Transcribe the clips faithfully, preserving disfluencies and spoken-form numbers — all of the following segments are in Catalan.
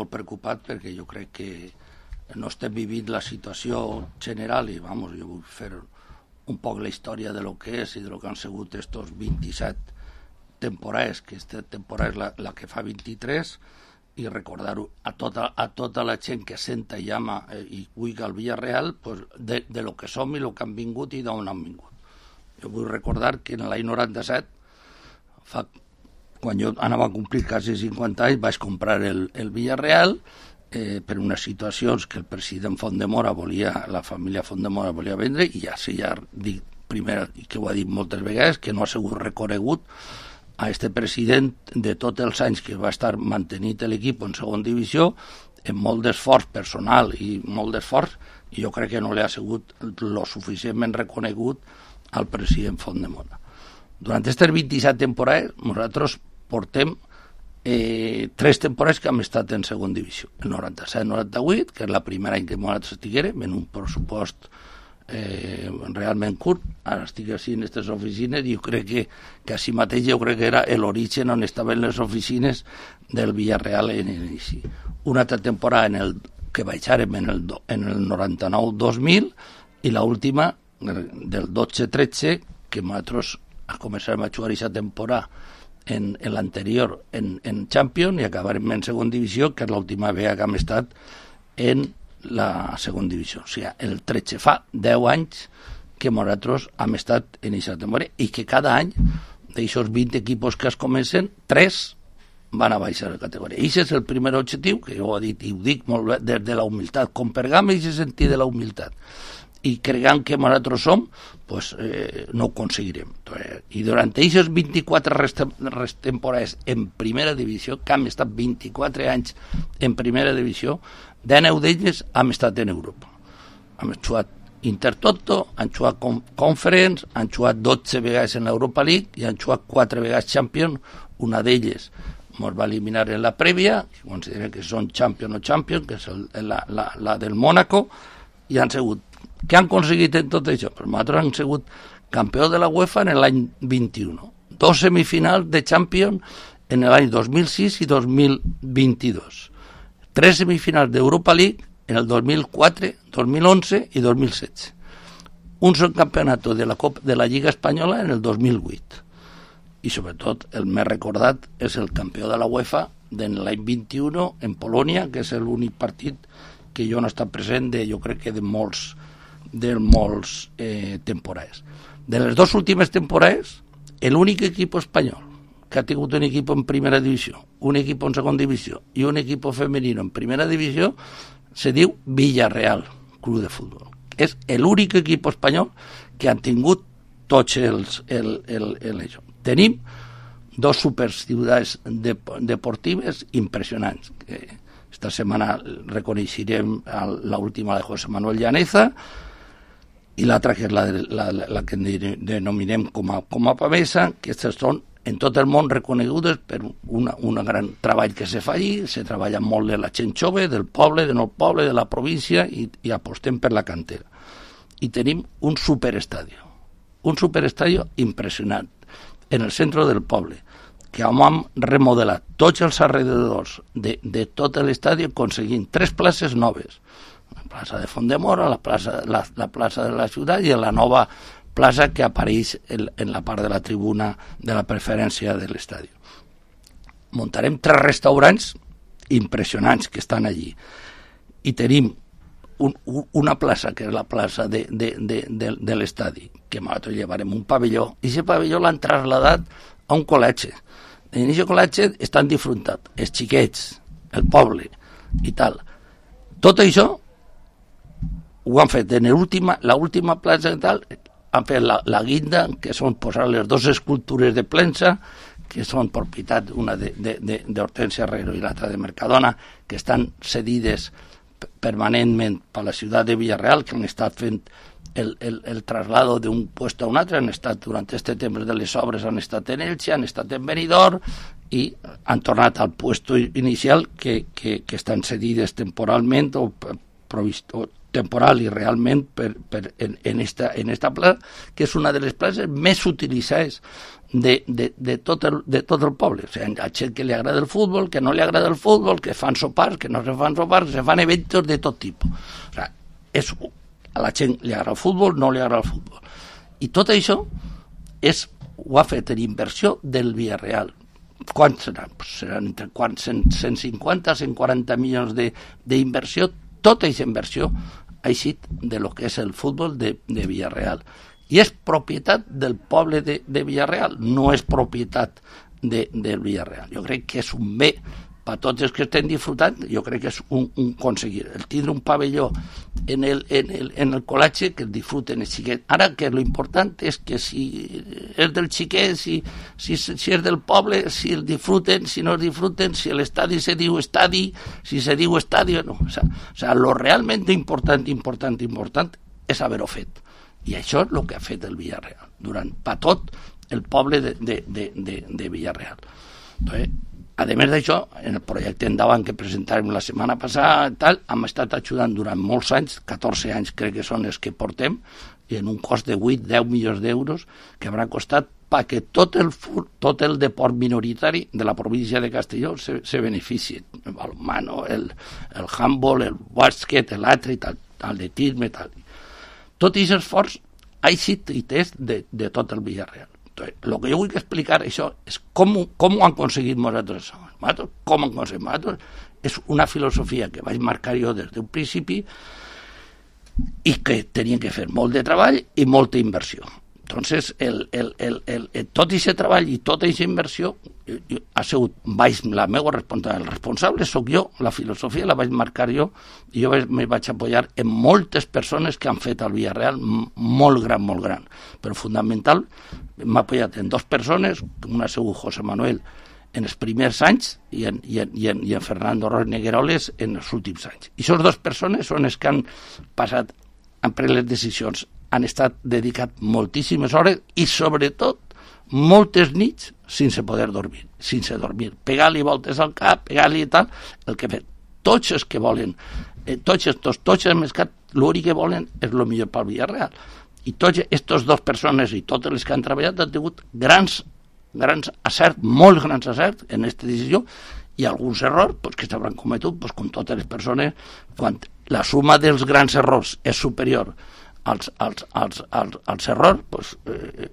molt preocupat perquè jo crec que no estem vivint la situació general i, vamos, jo vull fer un poc la història de lo que és i de lo que han sigut estos vint-i-set temporades, que aquesta temporada és la, la que fa vint-i-tres, i recordar-ho a tota, a tota la gent que senta i ama eh, i cuiga el Villarreal, pues, de, de lo que som i lo que han vingut i d'on han vingut. Jo vull recordar que en l'any noranta-set, fa, quan jo anava a complir quasi cinquanta anys, vaig comprar el, el Villarreal eh, per unes situacions que el president Fondemora volia, la família Fondemora volia vendre, i ja sí, ja dic primer, i que ho ha dit moltes vegades, que no ha sigut reconegut a este president de tots els anys que va estar mantenint l'equip en segona divisió, amb molt d'esforç personal i molt d'esforç, i jo crec que no li ha sigut lo suficientment reconegut al president Fondemora. Durant aquestes vint-i-set temporades, nosaltres portem eh, tres temporades que hem estat en segona divisió. El noranta-set noranta-vuit, que és la primera any que nosaltres estiguérem, en un pressupost eh, realment curt. Ara estic així en aquestes oficines i jo crec que, que així mateix jo crec que era l'origen on estaven les oficines del Villarreal en l'inici. Una altra temporada en el, que baixàrem en el, en el noranta-nou dos mil i l'última del dotze tretze, que nosaltres començarem a jugar aquesta temporada en, en l'anterior en, en Champions i acabarem en segona divisió, que és l'última vegada que hem estat en la segona divisió. O sigui, el tretze fa deu anys que nosaltres hem estat en aquesta temporada i que cada any d'aixòs vint equipos que es comencen, tres van a baixar la categoria. I aquest és el primer objectiu, que jo ho he dit i ho dic molt bé, des de la humilitat, com pergam i se sentir de la humilitat. I creguem que nosaltres som, pues, eh, no ho aconseguirem. I durant aquestes vint-i-quatre rest rest temporades en primera divisió, que hem estat vint-i-quatre anys en primera divisió, dinou d'elles hem estat en Europa. Hem jugat Intertoto, han jugat Conference, han jugat dotze vegades en l'Europa League i han jugat quatre vegades Champions. Una d'elles ens va eliminar en la prèvia, considerem que són Champions o Champions, que és el, la, la, la del Mónaco, i han sigut. Què han aconseguit en tot això? Pues nosaltres han sigut campió de la UEFA en l'any vint-i-u, dos semifinals de Champions en l'any dos mil sis i dos mil vint-i-dos, tres semifinals d'Europa League en el dos mil quatre, dos mil onze i dos mil setze, un subcampionat de la Copa de la Lliga Espanyola en el dos mil vuit, i sobretot el més recordat és el campió de la UEFA de l'any vint-i-u en Polònia, que és l'únic partit que jo no he estat present de, jo crec que de molts de molts eh, temporades. De les dues últimes temporades, l'únic equip espanyol que ha tingut un equip en primera divisió, un equip en segona divisió i un equip femenino en primera divisió se diu Villarreal Club de Futbol. És l'únic equip espanyol que han tingut tots els... El, el, el, el, Tenim dos superciutats de, deportives impressionants. Esta setmana reconeixerem l'última de José Manuel Llaneza i l'altra que és la, la, la que denominem com a, com a Pamesa, que aquestes són en tot el món reconegudes per una, un gran treball que se fa allí. Se treballa molt de la gent jove, del poble, de no poble, de la província, i, i apostem per la cantera. I tenim un superestadi, un superestadi impressionant en el centre del poble, que hem remodelat tots els alrededors de, de tot l'estadi aconseguint tres places noves, la plaça de Fondemora, la plaça, la, la plaça de la ciutat i la nova plaça que apareix en, en la part de la tribuna de la preferència de l'estadi. Muntarem tres restaurants impressionants que estan allí i tenim un, una plaça que és la plaça de, de, de, de, de l'estadi, que nosaltres llevarem un pavelló, i aquest pavelló l'han trasladat a un col·legi. En aquest col·legi estan disfrutant els xiquets, el poble i tal. Tot això ho han fet en l'última plaça i tal, han fet la, la guinda, que són posar les dues escultures de Plensa, que són propietat, una d'Hortensia Herrero i l'altra de Mercadona, que estan cedides permanentment per la ciutat de Villarreal, que han estat fent el, el, el traslado d'un puesto a un altre, han estat durant aquest temps de les obres, han estat en Elche, han estat en Benidorm i han tornat al puesto inicial que, que, que estan cedides temporalment o, provist, o temporal i realment per, per, en, en, esta, en esta plaça, que és una de les places més utilitzades de, de, de, tot el, de tot el poble. O sigui, hi ha gent que li agrada el futbol, que no li agrada el futbol, que fan sopars, que no se fan sopars, se fan eventos de tot tipus. O sigui, és, a la gent li agrada el futbol, no li agrada el futbol. I tot això és, ho ha fet en inversió del Villarreal. Quants seran? Pues seran entre cent, cent cinquanta, cent quaranta milions d'inversió. Tota aquesta inversió ha eixit de lo que és el futbol de, de Villarreal. I és propietat del poble de, de Villarreal, no és propietat de, del Villarreal. Jo crec que és un bé per tots els que estem disfrutant, jo crec que és un, un aconseguir. El tindre un pavelló en el, en el, en el col·legi, que el disfruten els xiquets. Ara que l'important és que si és del xiquet, si, si, si és del poble, si el disfruten, si no el disfruten, si l'estadi se diu estadi, si se diu estadi o no. O sea, o sea, lo realment important, important, important és haver-ho fet. I això és el que ha fet el Villarreal, durant per tot el poble de, de, de, de, de Villarreal. Entonces, a més d'això, en el projecte endavant que presentàvem la setmana passada, tal, hem estat ajudant durant molts anys, catorze anys crec que són els que portem, i en un cost de vuit a deu milions d'euros, que haurà costat perquè tot el, tot el deport minoritari de la província de Castelló se, se benefici. El balonmano, el, el handball, el bàsquet, l'altre, el atletisme, tal. Tot aquest esforç ha eixit i és de, de tot el Villarreal. Entonces, lo que jo vull explicar això és com, com ho han aconseguit nosaltres. Nosaltres com ho han aconseguit nosaltres és una filosofia que vaig marcar jo des d'un principi i que tenien que fer molt de treball i molta inversió. Entonces, el, el, el, el, el, tot aquest treball i tota aquesta inversió ha sigut vaig, la meva responsable. El responsable sóc jo, la filosofia la vaig marcar jo i jo me vaig apoyar en moltes persones que han fet el Villarreal molt gran, molt gran. Però fundamental, m'ha apoyat en dues persones, una ha sigut José Manuel en els primers anys i en, i en, i en, i en Fernando Roig Negueroles en els últims anys. I aquestes dues persones són les que han passat, han pres les decisions, han estat dedicat moltíssimes hores i, sobretot, moltes nits sense poder dormir, sense dormir, pegar-li voltes al cap, pegar-li i tal, el que fet. Tots els que volen, eh, tots estos, tots els mercats, l'únic que volen és el millor pel Villarreal. I tots aquestes dues persones i totes les que han treballat han tingut grans, grans acerts, molt grans acerts en aquesta decisió i alguns errors pues, que s'hauran cometut pues, com totes les persones. Quan la suma dels grans errors és superior als, als, als, als, als errors, pues, eh,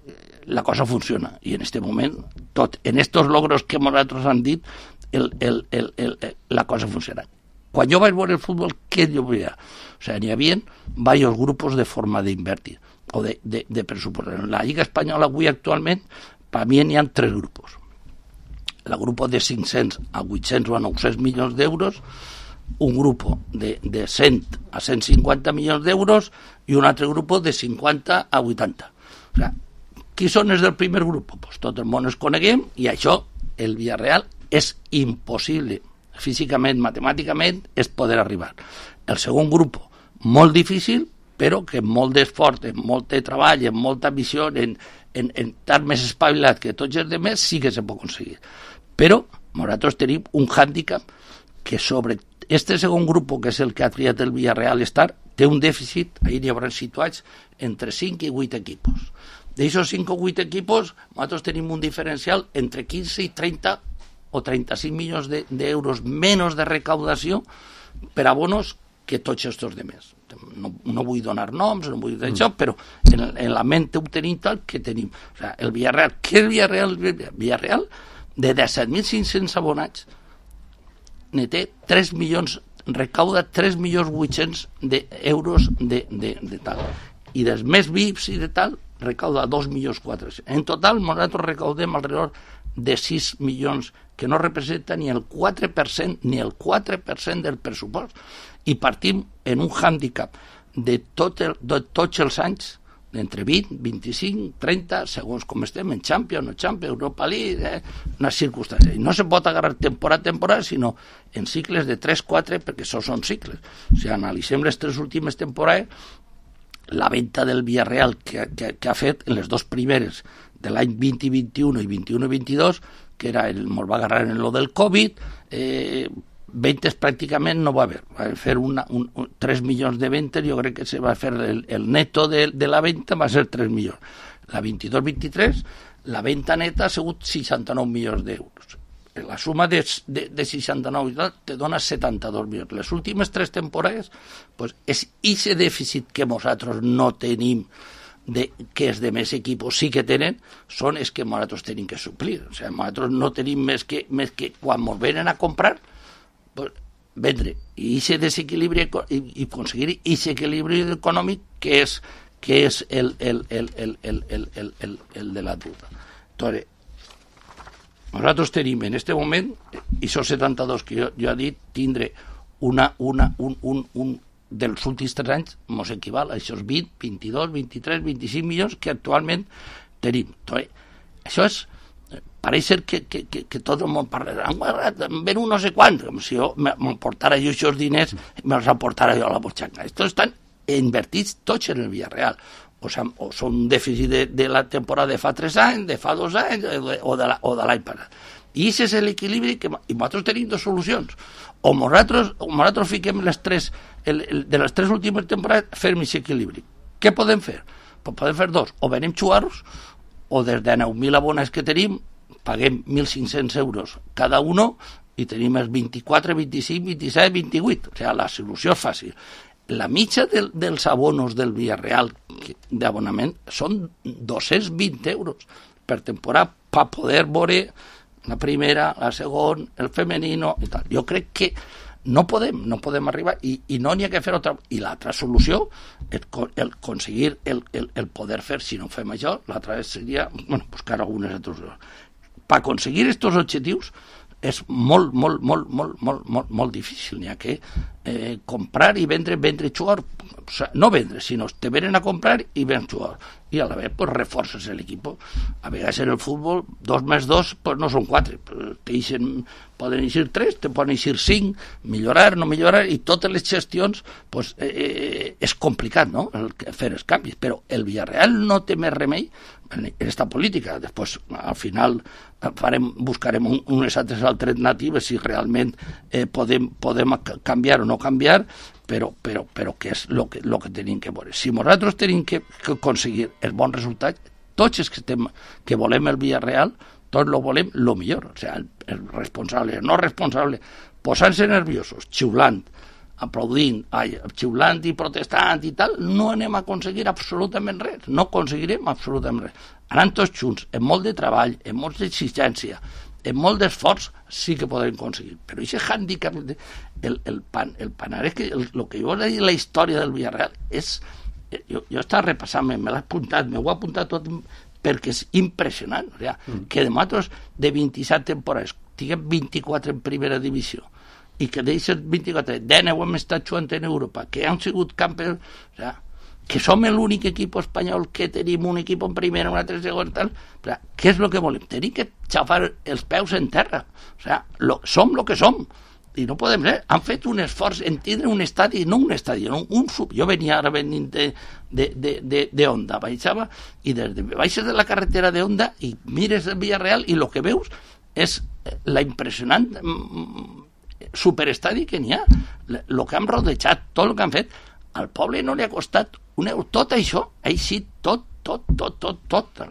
la cosa funciona. I en aquest moment, tot, en estos logros que nosaltres han dit, el, el, el, el, la cosa funciona. Quan jo vaig veure el futbol, què jo veia? O sigui, n'hi havia diversos grupos de forma d'invertir o de, de, de pressupostar. En la Lliga Espanyola avui actualment, per mi n'hi ha tres grupos. El grup de cinc-cents a vuit-cents o a nou-cents milions d'euros, un grup de, de cent a cent cinquanta milions d'euros i un altre grup de cinquanta a vuitanta. O sigui, qui són els del primer grup? Pues tot el món els coneguem i això, el Villarreal, és impossible, físicament, matemàticament, és poder arribar. El segon grup, molt difícil, però que amb molt d'esforç, amb molt de treball, amb molta visió, en, en, en estar més espavilat que tots els altres, sí que se pot aconseguir. Però nosaltres tenim un hàndicap que sobre este segon grup, que és el que ha triat el Villarreal estar, té un dèficit, ahir hi haurà situats entre cinc i vuit equipos. D'aquests cinc o vuit equipos, nosaltres tenim un diferencial entre quinze i trenta o trenta-cinc milions d'euros menys de recaudació per abonos que tots els altres. No, no vull donar noms, no vull dir això, mm. però en, en la ment ho tenim tal que tenim. O sigui, el Villarreal, què és el Villarreal? El Villarreal, de disset mil cinc-cents abonats, ne té tres milions, recauda tres milions vuit-cents d'euros de, de, de tal. I dels més V I Ps i de tal, recauda dos milions quatre-cents. En total, nosaltres recaudem alrededor de sis milions, que no representa ni el quatre per cent, ni el quatre per cent del pressupost. I partim en un hàndicap de, tot el, de tots els anys, d'entre vint, vint-i-cinc, trenta, segons com estem, en Champions, no Champions, Europa League, eh, una circumstància. I no se pot agarrar temporada a temporada, sinó en cicles de tres quatre, perquè això són cicles. O sigui, analitzem les tres últimes temporades, la venda del Villarreal que, que, que ha fet en les dues primeres de l'any vint i vint-i-un i vint-i-un i vint-i-dos, que era el, ens va agarrar en lo del Covid, eh, ventes pràcticament no va haver. Va fer una, un, un, tres milions de ventes, jo crec que se va fer el, el neto de, de la venda va ser tres milions. La vint-i-dos vint-i-tres, la venda neta ha sigut seixanta-nou milions d'euros. La suma de, de, de seixanta-nou i tal te dona setanta-dos milions. Les últimes tres temporades, pues, és ese dèficit que nosaltres no tenim, de, que és de més equipos sí que tenen, són els que nosaltres tenim que suplir. O sigui, nosaltres no tenim més que, més que quan ens venen a comprar, pues, vendre. I aquest desequilibri i, i aconseguir aquest equilibri econòmic que és, que és el, el, el, el, el, el, el, el, el de la duda. Entonces, nosaltres tenim en aquest moment, i són setanta-dos que jo, jo he dit, tindre una, una, un, un, un dels últims tres anys ens equival a aquests vint, vint-i-dos, vint-i-tres, vint-i-cinc milions que actualment tenim. Entonces, això és, pareix ser que, que, que, que tot el món parla, em ven un no sé quant, com si jo m'emportara jo aquests diners, me'ls emportara jo a la butxaca. Estos estan invertits tots en el Villarreal. O, sea, o són un dèficit de, de la temporada de fa tres anys, de fa dos anys, o de, la, o de l'any passat. I aquest és l'equilibri que... I nosaltres tenim dues solucions. O nosaltres, o nosaltres fiquem les tres, el, el, de les tres últimes temporades, fem aquest equilibri. Què podem fer? Pues podem fer dos. O venim xuarros, o des de nou mil abonats que tenim, paguem mil cinc-cents euros cada uno, i tenim els vint-i-quatre, vint-i-cinc, vint-i-set, vint-i-vuit. O sigui, la solució és fàcil. La mitja del, dels abonos del Villarreal d'abonament són dos-cents vint euros per temporada per poder veure la primera, la segona, el femenino i tal. Jo crec que no podem, no podem arribar i, i no n'hi ha que fer otra. I l'altra solució és el aconseguir el, el, el poder fer, si no fem això, l'altra seria, bueno, buscar algunes altres. Per aconseguir aquests objectius és molt, molt, molt, molt, molt, molt, molt difícil. N'hi ha que eh, comprar i vendre, vendre i jugar. O sea, no vendre, sinó te venen a comprar i ven jugar. I a la vez pues, reforces el equipo. A vegades en el fútbol, dos més dos pues, no són quatre. Te ixen, poden eixir tres, te poden eixir cinc, millorar, no millorar, i totes les gestions pues, eh, és complicat, no?, el, fer els canvis. Però el Villarreal no té més remei en esta política. Després, al final, farem, buscarem un, unes altres alternatives si realment eh, podem, podem canviar o no canviar, però, però, però què és el que, lo que tenim que veure. Si nosaltres tenim que, que aconseguir el bon resultat, tots els que, estem, que volem el Villarreal, tots lo volem el millor. O sigui, el, el responsable, el no responsable, posant-se nerviosos, xiulant, aplaudint, ai, xiulant i protestant i tal, no anem a aconseguir absolutament res, no aconseguirem absolutament res. Anant tots junts, amb molt de treball, amb molta exigència, amb molt d'esforç, sí que podem aconseguir. Però aquest hàndicap, el, el, pan, el panarès, que el, el que jo he dit la història del Villarreal és... Jo, jo estava repassant, me l'he apuntat, m'ho he apuntat tot perquè és impressionant. O sigui, mm. que de nosaltres, de vint-i-set temporades, tinguem vint-i-quatre en primera divisió, i que d'aquestes vint-i-quatre, deu hem estat jugant en Europa, que han sigut campions, o sigui, que som l'únic equip espanyol que tenim un equip en primera, un altre en segon, tal, o sigui, què és el que volem? Tenim que xafar els peus en terra, o sigui, lo, som el que som, i no podem ser. Han fet un esforç en tindre un estadi, no un estadi, no, un sub. Jo venia ara venint de, de, de, de, de Onda, baixava, i des de, baixes de la carretera de Onda i mires el Villarreal i el que veus és la impressionant superestadi que n'hi ha, el que han rodejat, tot el que han fet. Al poble no li ha costat un euro. Tot això, així, tot, tot, tot, tot, tot.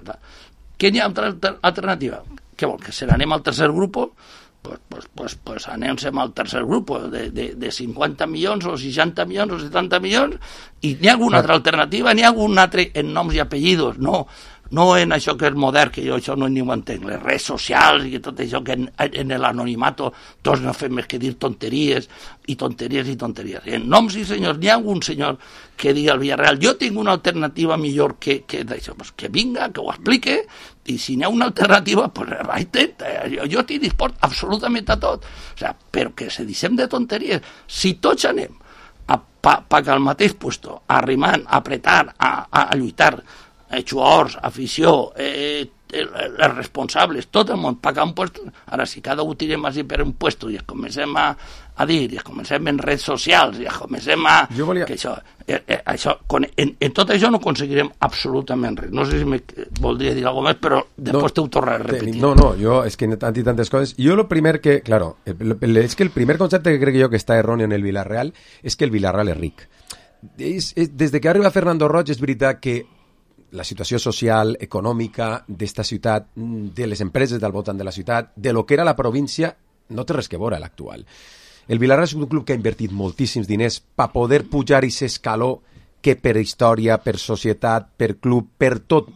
Què n'hi ha altra alternativa? Què vol, que se n'anem al tercer grup? Pues, pues, pues, pues anem-se'n al tercer grup de, de, de cinquanta milions o seixanta milions o setanta milions, i n'hi ha alguna altra alternativa, n'hi ha algun altre en noms i apellidos, no, no en això que és modern, que jo això no ni ho entenc, les redes socials i tot això que en, en l'anonimato tots no fem més que dir tonteries i tonteries i tonteries. En noms i senyors, n'hi ha algun senyor que digui al Villarreal, jo tinc una alternativa millor que, que d'això, pues que vinga, que ho explique, i si n'hi ha una alternativa, pues intenta, jo, jo estic dispost absolutament a tot. O sigui, però que se deixem de tonteries. Si tots anem a pa, pa que al mateix puesto, arrimant, a apretar, a, a, a lluitar, eh, jugadors, afició, eh, els responsables, tot el món pagar un puesto. Ara, si cada un tirem així per un puesto i es comencem a, a dir, i es comencem en redes socials, i es comencem a... Jo volia... que això, eh, eh, això en, en tot això no aconseguirem absolutament res. No sé si me voldria dir alguna més, però després no, t'ho tornaré a repetir. No, no, yo es que han dit tantes coses. Yo lo primer que, claro, es que el primer concepte que crec jo que està erróneo en el Villarreal és que el Villarreal és ric. És, és, des de que arriba Fernando Roig és veritat que la situació social, econòmica d'esta ciutat, de les empreses del voltant de la ciutat, de lo que era la província, no té res que veure l'actual. El Villarreal és un club que ha invertit moltíssims diners per poder pujar i ser escaló que per història, per societat, per club, per tot,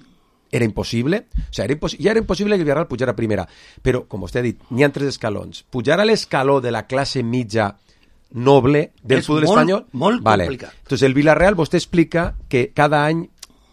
era impossible. O sigui, era impos- ja era impossible que el Villarreal pujara a primera. Però, com vostè ha dit, n'hi ha tres escalons. Pujar a l'escaló de la classe mitja noble del és futbol molt, espanyol... molt vale. complicat. Entonces, el Villarreal, vostè explica que cada any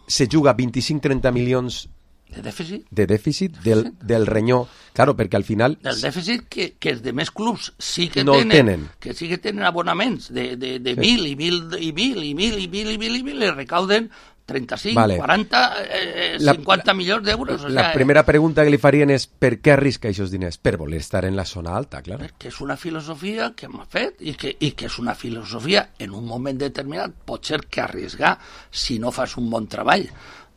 se juga vint-i-cinc a trenta milions De dèficit? de dèficit del, del renyó. Claro, perquè al final... Del dèficit que, que els demés clubs sí que no tenen, tenen. que sí que tenen abonaments de, de, de Sí. mil i mil i mil i mil i mil i mil i mil i recauden trenta-cinc, Vale. quaranta, eh, La- cinquanta milions d'euros. O La sea, primera pregunta que li farien és per què arrisca aquests diners? Per voler estar en la zona alta, clar. que és una filosofia que m'ha fet i que, i que és una filosofia en un moment determinat pot ser que arriesgar si no fas un bon treball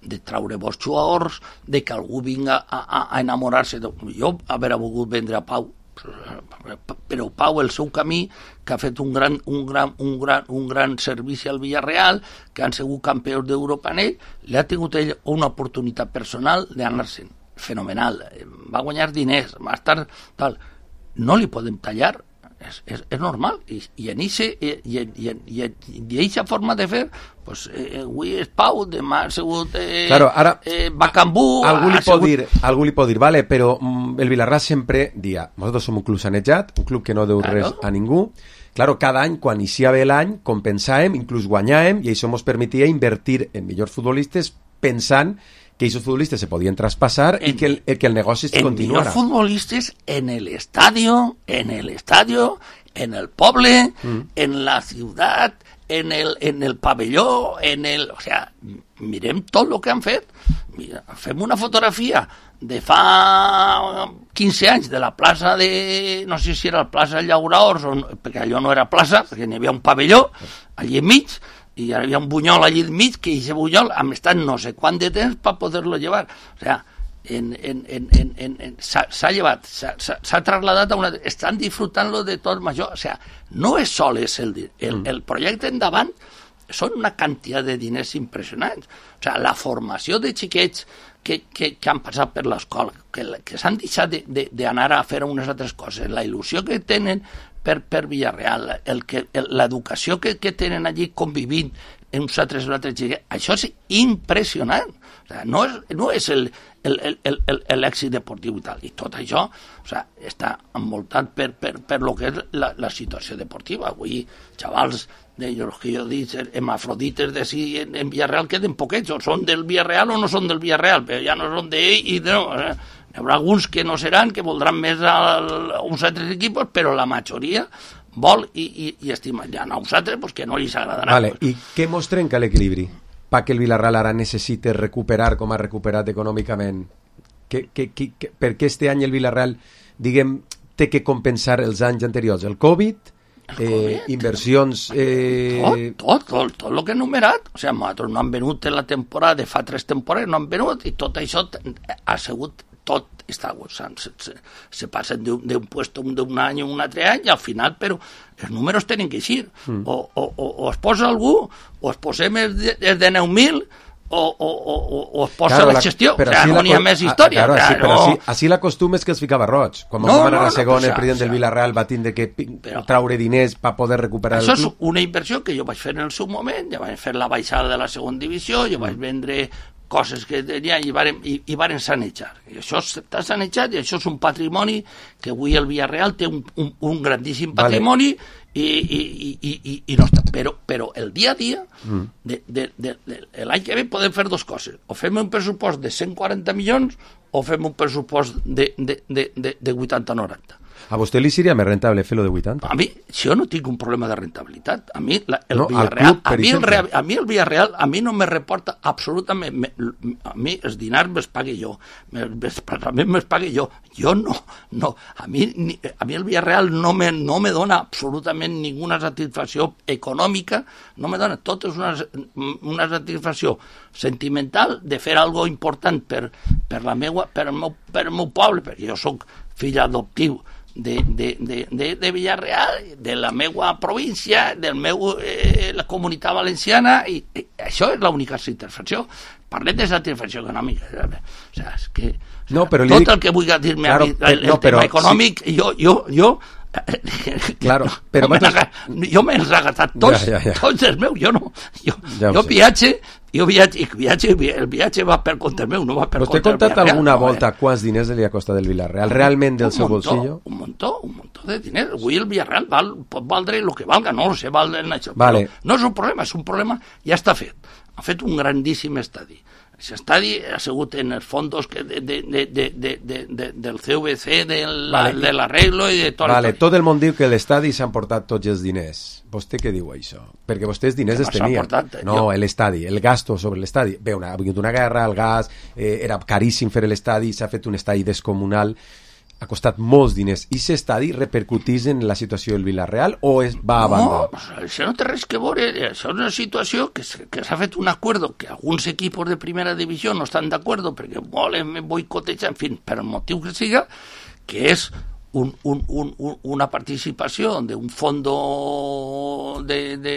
de traure bons jugadors, de que algú vinga a, a, a enamorar-se de... Jo haver volgut vendre a Pau, però Pau, el seu camí, que ha fet un gran, un gran, un gran, un gran servici al Villarreal, que han sigut campions d'Europa en ell, li ha tingut ell una oportunitat personal d'anar-se'n. Fenomenal. Va guanyar diners, va estar... Tal. No li podem tallar, és, és, és normal, i, i en aquesta forma de fer, pues, eh, avui és Pau, demà ha sigut eh, Claro, ara, eh, Bacambú, algú li ha pot sigut... dir, algú li pot dir, vale, però mm, el Villarreal sempre dia, nosaltres som un club sanejat, un club que no deu Claro. res a ningú. Claro, cada any, quan iniciava l'any, compensàvem, inclús guanyàvem, i això ens permetia invertir en millors futbolistes pensant que aquests futbolistes se podien traspassar en, i que el, que el negoci en continuara. millors futbolistes en el estadio, en el estadio, en el poble, mm. en la ciutat, en el, en el pavelló, en el... O sea, mirem tot el que han fet. Mira, fem una fotografia de fa quinze anys de la plaça de... No sé si era la plaça Llauraors, o no, perquè allò no era plaça, perquè n'hi havia un pavelló allí enmig, i hi havia un bunyol allí enmig, que aquest bunyol hem estat no sé quant de temps per poder-lo llevar. O sea, en, en, en, en, en, en, s'ha llevat, s'ha trasladat a una... Estan disfrutant-lo de tot major. O sea, no és sol és el, el, el projecte endavant, són una quantitat de diners impressionants. O sea, la formació de xiquets que, que, que han passat per l'escola, que, que s'han deixat d'anar a fer unes altres coses, la il·lusió que tenen per, per Villarreal, el que, l'educació que, que tenen allí convivint en uns altres, altres xiquets, això és impressionant. O sea, no és, no és el, el, el, el, l'èxit deportiu i tal. I tot això, o sea, està envoltat per, per, per lo que és la, la situació deportiva. Avui, xavals de los que jo dic, hemafrodites de si en, en Villarreal queden poquets, o són del Villarreal o no són del Villarreal, però ja no són d'ell i no... O sea, hi haurà alguns que no seran, que voldran més a, a uns altres equipos, però la majoria vol i, i, i estima. Ja a uns altres, pues, que no els agradarà. Vale. Pues. I què mos trenca l'equilibri? Pa que el Villarreal ara necessite recuperar com ha recuperat econòmicament? Que, que, que, que, per què este any el Villarreal, diguem, té que compensar els anys anteriors? El Covid, el COVID eh, inversions... Eh... Tot, tot, tot, tot el que he enumerat. O sigui, nosaltres no han venut en la temporada de fa tres temporades, no han venut, i tot això ha sigut tot està, o sigui, se, se, se passen d'un puesto d'un any a un altre any, i al final, però els números tenen que eixir. Mm. O, o, o, o es posa algú, o es posem els de, els de nou mil, o, o, o, o es posa claro, la gestió. O sigui, no n'hi ha més història. Claro, claro. Sí, però així, així l'acostum és que els ficava roig. Quan no, vam anar no, a segon, no, el president del Villarreal va tindre que però, traure diners per poder recuperar el club. Això és una inversió que jo vaig fer en el seu moment, ja vaig fer la baixada de la segona divisió, jo vaig vendre coses que tenia i varen, i, i varen sanejar. I això està sanejat, i això és un patrimoni que avui el Villarreal té un, un, un grandíssim patrimoni, vale. i, i, i, i, i no està. Però, però el dia a dia, mm. de, de, de, de, l'any que ve podem fer dues coses. O fem un pressupost de cent quaranta milions o fem un pressupost de, de, de, de, de vuitanta a noranta. A vostè li seria més rentable fer-lo de vuitanta? A mi, si jo no tinc un problema de rentabilitat, a mi la, el no, Villarreal, club, a, mi el, a mi el Villarreal, a mi no me reporta absolutament, me, a mi els dinars me'ls pague jo, me'ls me pague jo, jo no, no, a mi, ni, a mi el Villarreal no me, no me dona absolutament ninguna satisfacció econòmica, no me dona, tot és una, una satisfacció sentimental de fer algo important per, per, la meua, per, el meu, per el meu poble, perquè jo soc fill adoptiu de, de, de, de, de Villarreal, de la meua província, del meu, eh, la comunitat valenciana, i, i això és l'única satisfacció. Parlem de satisfacció econòmica. O sigui, és que o no, però tot dic... el que vulgui dir-me claro, a mi, el, el no, però, tema econòmic, sí. jo, jo, jo claro, no, però no vosaltres... jo me'ls he gastat tots, ja, ja, ja. tots els meus, jo no, jo, ja jo viatge, jo viatge, viatge, el viatge va per compte meu, no va per compte del Villarreal. ¿Vostè ha contat alguna no, volta eh? quants diners li ha costat el Villarreal? Realment del seu montó, bolsillo? Un muntó, un muntó de diners. Avui el Villarreal val, pot valdre el que valga, no sé, val en això, vale. Però no és un problema, és un problema, ja està fet. Ha fet un grandíssim estadi. Aquest estadi ha sigut en els fondos que de, de, de, de, de, de, de, del C V C, del, vale. de l'arreglo i de tot. Vale, tot el món diu que l'estadi s'han portat tots els diners. Vostè què diu això? Perquè vostès diners es tenien. Portat, no, jo... l'estadi, el gasto sobre l'estadi. Bé, una, ha vingut una guerra, el gas, eh, era caríssim fer l'estadi, s'ha fet un estadi descomunal, ha costat molts diners. I aquest estadi repercutís en la situació del Villarreal o es va a banda? No, això no té res que veure. Això és una situació que, que s'ha fet un acord, que alguns equipos de primera divisió no estan d'acord perquè volen boicotejar, en fi, per el motiu que siga, que és un, un, un, una participació d'un fondo de, de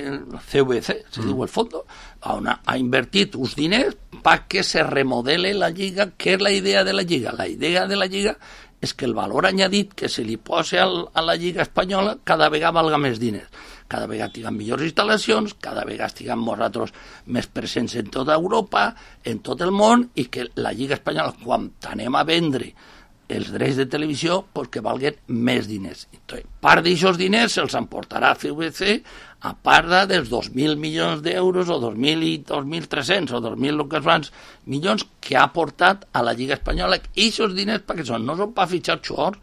C V C, se mm. diu el fondo, on ha, ha invertit uns diners perquè se remodele la lliga. Què és la idea de la lliga? La idea de la lliga és que el valor añadit que se li posa al, a la Lliga Espanyola cada vegada valga més diners. Cada vegada tinguem millors instal·lacions, cada vegada estiguem nosaltres més presents en tota Europa, en tot el món, i que la Lliga Espanyola, quan anem a vendre els drets de televisió, pues que valguen més diners. Entonces, part d'aixòs diners se'ls emportarà a C V C, a part dels dos mil milions d'euros, o dos mil i dos mil tres-cents, o dos mil el que es van, milions que ha portat a la Lliga Espanyola. I aquests diners, perquè són? No són per fitxar jugadors,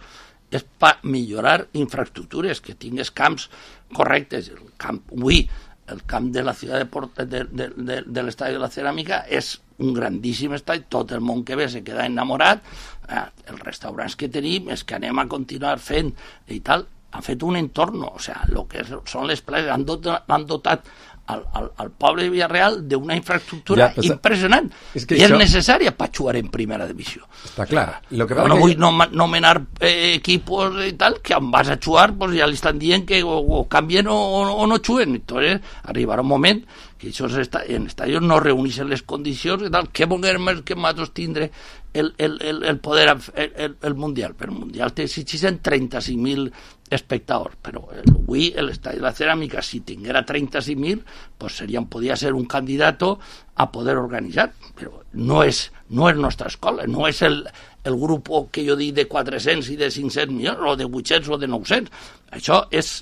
és per millorar infraestructures, que tingues camps correctes. El camp, avui, el camp de la ciutat de, Port, de, de, de, de l'estadi de la Ceràmica és un grandíssim estadi, tot el món que ve se queda enamorat, eh, els restaurants que tenim és que anem a continuar fent i tal. Han fet un entorn, o sigui, el que són les places, han dotat, han dotat al, al, al poble de Villarreal d'una infraestructura ja, però, impressionant, és que i això... és necessària per jugar en primera divisió. Està clar. Lo que no que... vull nomenar eh, equipos i tal, que on vas a jugar pues, ja li estan dient que o, o canvien o, o no juguen. Entonces, arribarà un moment que això està, en estadios no reuneixen les condicions i tal, què volem més que nosaltres tindre el, el, el, el poder, el, el, el Mundial. Però el Mundial té exigeixen trenta-cinc mil espectadors, però avui l'estadi de la Ceràmica, si tinguera trenta-cinc mil, pues seria, podria ser un candidat a poder organitzar, però no és, no és nostra escola, no és el, el grup que jo dic de quatre-cents i de cinc-cents milions, o de vuit-cents o de nou-cents. Això és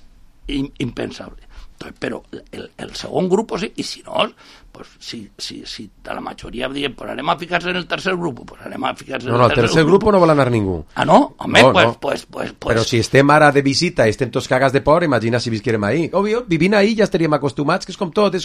impensable. Però el, el segon grup, sí, i si no, pues, si, si, si a la majoria diem, pues anem a ficar-se en el tercer grup, pues anem a ficar-se en no, no, el tercer, tercer grup. No, el tercer grup no vol anar ningú. Ah, no? Home, no, pues, no. Pues, pues, pues... Però si estem ara de visita i estem tots cagats de por, imagina si visquérem ahí. Obvio, vivint ahí ja estaríem acostumats, que és com tot, és,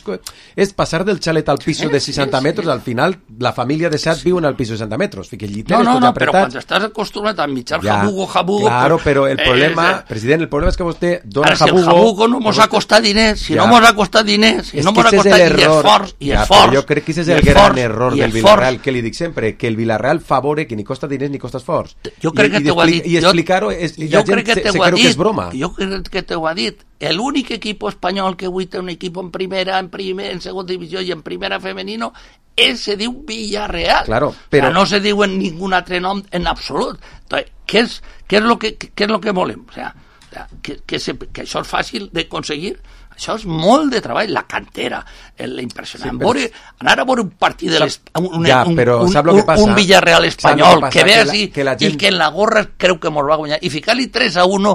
és passar del xalet al piso sí, de seixanta sí, metres, sí. Al final la família de set sí. viu en el piso de seixanta metres, fica el lliteres no, no, tots no, apretats. Però quan estàs acostumat a mitjar ja, jabugo, jabugo... Claro, pues, però el problema, eh, president, el problema és que vostè dona ara, jabugo... Si el jabugo no mos ha costat diners, si ja. no mos ha costat diners, si és no mos ha costat i esforç, i ja, esforç... Jo crec que és el gran error del Villarreal, que li dic sempre, que el Villarreal favore que ni costa diners ni costa esforç. Jo crec que t'ho ha dit. I explicar-ho, la gent se creu que és broma. Jo crec que t'ho ha dit. L'únic equip espanyol que avui té un equip en primera, en primer, en segona divisió i en primera femenino, ell se diu Villarreal. Claro, però... No se diu en ningú altre nom en absolut. Entonces, què és, què és, lo, que, què és lo que volem? O sea, o sea, que, que, se, que això és fàcil d'aconseguir. Això és molt de treball, la cantera, l'impressionant. Sí, però... anar a veure un partit de les... un, ja, un, però, un, un, un Villarreal espanyol que, que ve així que la, que la gent... i que en la gorra creu que mos va guanyar i ficar-li tres a uno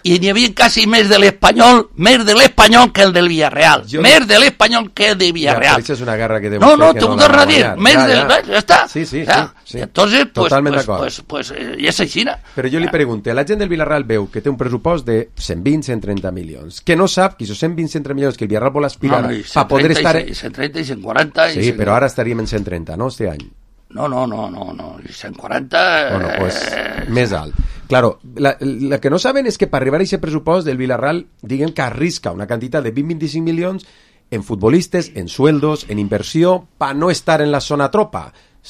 i n'hi havia quasi més de l'Espanyol més de l'Espanyol que el del Villarreal jo... més de l'Espanyol que el de Villarreal. Ja, és una guerra que no, no, t'ho torno a dir més ja, ja. del... ja està sí, sí, o sea, sí, sí. Entonces, pues, totalment pues, d'acord pues, pues, pues, ja és així. Però jo li pregunto, la gent del Villarreal veu que té un pressupost de cent vint a cent trenta milions, que no sap que aquests cent vint a cent trenta milions que el Villarreal vol aspirar no, no, per poder estar... cent trenta i cent quaranta sí, cent... però ara estaríem en cent trenta, no, este any? No, no, no, no, no. cent quaranta... Bueno, pues, eh... més alt. Claro, la, la que no saben és que per arribar a aquest pressupost del Villarreal, diguem que arrisca una quantitat de vint a vint-i-cinc milions en futbolistes, en sueldos, en inversió, per no estar en la zona tropa.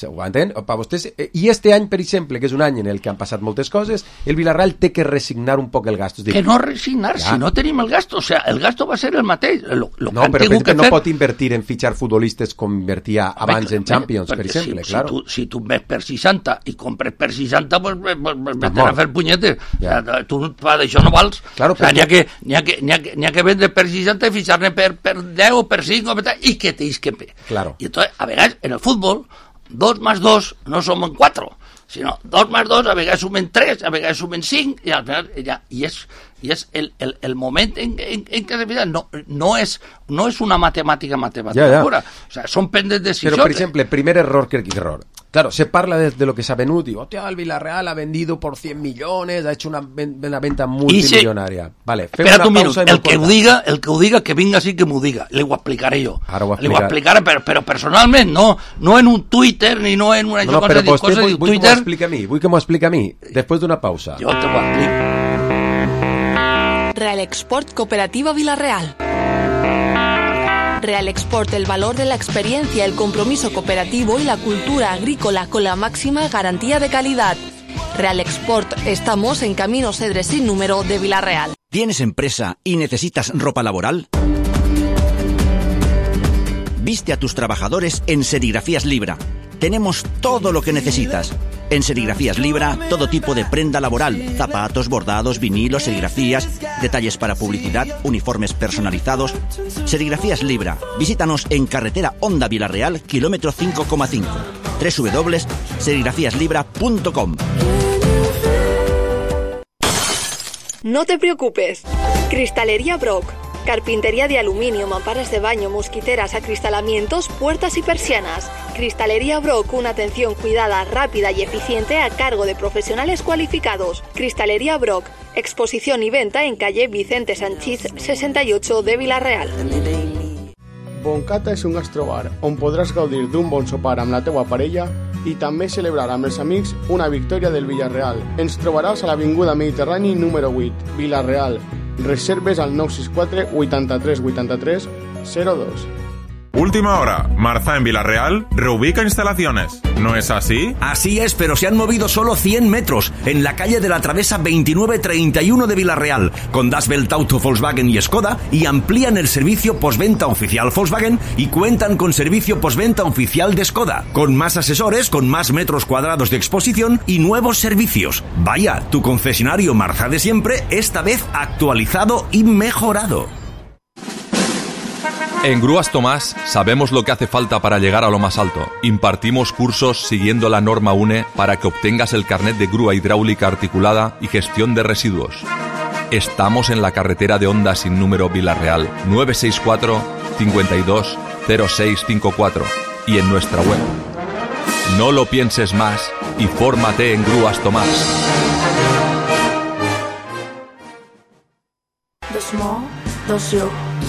Ho entén? Per vostès, i este any, per exemple, que és un any en el que han passat moltes coses, el Villarreal té que resignar un poc el gasto. Que no resignar, ja. Si no tenim el gasto, o sea, el gasto va ser el mateix. Lo, lo no, però per exemple, no fer... pot invertir en fitxar futbolistes com invertia abans en Champions, per exemple, si, claro. Si tu, si tu ves per seixanta i compres per seixanta, pues, pues, pues vete a fer punyetes. Ja. O sea, tu d'això no vals. Claro, o sea, n'hi ha, que, n'hi ha, que, n'hi ha, que, n'hi ha que vendre per seixanta i fitxar-ne per, per deu o per cinc i que t'his que fer. Claro. I entonces, a vegades, en el futbol, dos más dos no sumen cuatro, sino dos más dos a vegades sumen tres, a vegades sumen cinc, y al final ya, y es, y es el, el, el momento en, en, en que se fija, no, no es, no es una matemática matemática ya, ya. pura, o sea, son pendes de decisiones. Pero, por ejemplo, el primer error que error. Claro, se parla de, de lo que se ha venut y, hostia, el Villarreal ha vendido por cien millones, ha hecho una, una venta multimillonaria. Se... Vale, espera un minuto, el que ho diga, el que ho diga, que vinga sí que m'ho diga, le ho explicaré jo. Ara ho explicaré. Le ho explicaré, però, però personalment, no, no en un Twitter, ni no en una no, no, cosa, però cosa vull, de vull Twitter. Que m'ho explica a mi, vull que m'ho explica a mi, després d'una pausa. Jo te ho explico. Real Export Cooperativa Villarreal. Real Export, el valor de la experiencia, el compromiso cooperativo y la cultura agrícola con la máxima garantía de calidad. Real Export, estamos en Camino Cedres sin número de Villarreal. ¿Tienes empresa y necesitas ropa laboral? Viste a tus trabajadores en Serigrafías Libra. Tenemos todo lo que necesitas. En Serigrafías Libra, todo tipo de prenda laboral, zapatos, bordados, vinilos, serigrafías, detalles para publicidad, uniformes personalizados. Serigrafías Libra. Visítanos en carretera Honda Villarreal, kilómetro cinco coma cinco. doble u doble u doble u punto serigrafías libra punto com. No te preocupes. Cristalería Brock. Carpintería de aluminio, mamparas de baño, mosquiteras, acristalamientos, puertas y persianas. Cristalería Brock, una atención cuidada, rápida y eficiente a cargo de profesionales cualificados. Cristalería Brock, exposición y venta en calle Vicente Sanchís sesenta y ocho de Villarreal. Boncata és un gastrobar on podràs gaudir d'un bon sopar amb la teua parella i també celebrar amb els amics una victòria del Villarreal. Ens trobaràs a l'Avinguda Mediterrani número vuit, Villarreal. Reserves al nou sis quatre, vuitanta-tres, vuitanta-tres, cero dos. Última hora, Marza en Villarreal reubica instalaciones. ¿No es así? Así es, pero se han movido solo cien metros en la calle de la Travesa veintinueve treinta y uno de Villarreal, con Das Welt Auto, Volkswagen y Skoda, y amplían el servicio postventa oficial Volkswagen y cuentan con servicio postventa oficial de Skoda, con más asesores, con más metros cuadrados de exposición y nuevos servicios. Vaya, tu concesionario Marza de siempre, esta vez actualizado y mejorado. En Grúas Tomás sabemos lo que hace falta para llegar a lo más alto. Impartimos cursos siguiendo la norma U N E para que obtengas el carnet de grúa hidráulica articulada y gestión de residuos. Estamos en la carretera de Honda sin número Villarreal, nueve seis cuatro, cincuenta y dos, cero seis cinco cuatro y en nuestra web. No lo pienses más y fórmate en Grúas Tomás.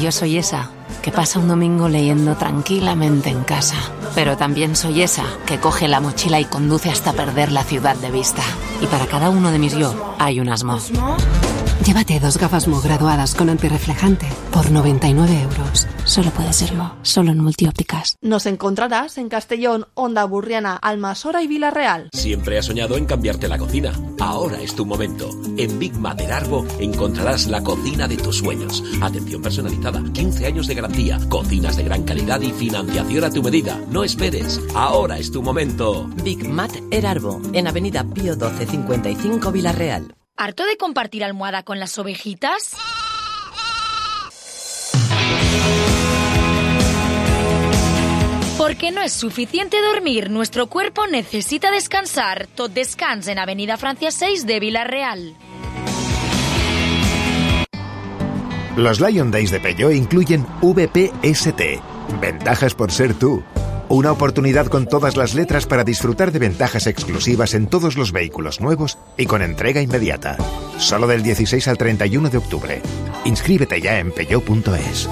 Yo soy esa que pasa un domingo leyendo tranquilamente en casa. Pero también soy esa que coge la mochila y conduce hasta perder la ciudad de vista. Y para cada uno de mis yo hay un Asmo. Llévate dos gafas Mo graduadas con antirreflejante por noventa y nueve euros. Solo puede ser Mo, solo en Multiópticas. Nos encontrarás en Castellón, Honda Burriana, Almasora y Villarreal. Siempre has soñado en cambiarte la cocina. Ahora es tu momento. En Big Mater Arbo encontrarás la cocina de tus sueños. Atención personalizada, quince años de garantía, cocinas de gran calidad y financiación a tu medida. No esperes. Ahora es tu momento. Big Mater Arbo, en Avenida Pío doce cincuenta y cinco Villarreal. ¿Harto de compartir almohada con las ovejitas? Porque no es suficiente dormir, nuestro cuerpo necesita descansar. Tot Descans en Avenida Francia seis de Villarreal. Los Lion Days de Peugeot incluyen V P S T, ventajas por ser tú. Una oportunidad con todas las letras para disfrutar de ventajas exclusivas en todos los vehículos nuevos y con entrega inmediata. Solo del dieciséis al treinta y uno de octubre. Inscríbete ya en peugeot punto es.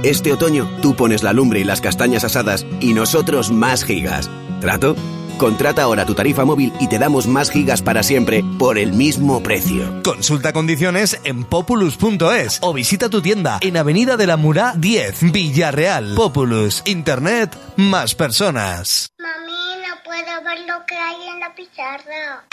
Este otoño tú pones la lumbre y las castañas asadas y nosotros más gigas. ¿Trato? Contrata ahora tu tarifa móvil y te damos más gigas para siempre por el mismo precio. Consulta condiciones en populus punto es o visita tu tienda en Avenida de la Murá diez, Villarreal. Populus, Internet más personas. Mami, no puedo ver lo que hay en la pizarra.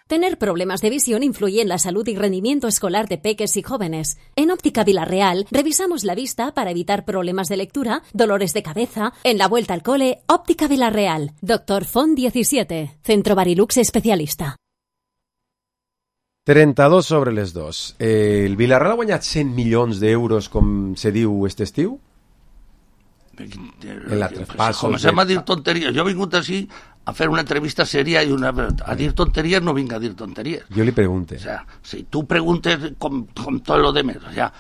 Tener problemas de visión influye en la salud y rendimiento escolar de peques y jóvenes. En Óptica Villarreal revisamos la vista para evitar problemas de lectura, dolores de cabeza. En la vuelta al cole, Óptica Villarreal. Doctor Font diecisiete, Centro Barilux especialista. trenta-dos sobre les dos. Eh, el Villarreal ha guanyat cent milions d'euros, com se diu este estiu? En la traspasos... Comencem a dir tonteries. Jo he vingut així a fer una entrevista seria i una... a dir tonteries no vinc a dir tonteries. Jo li pregunte. O sea, si tu preguntes com, com tot lo demés, o sea,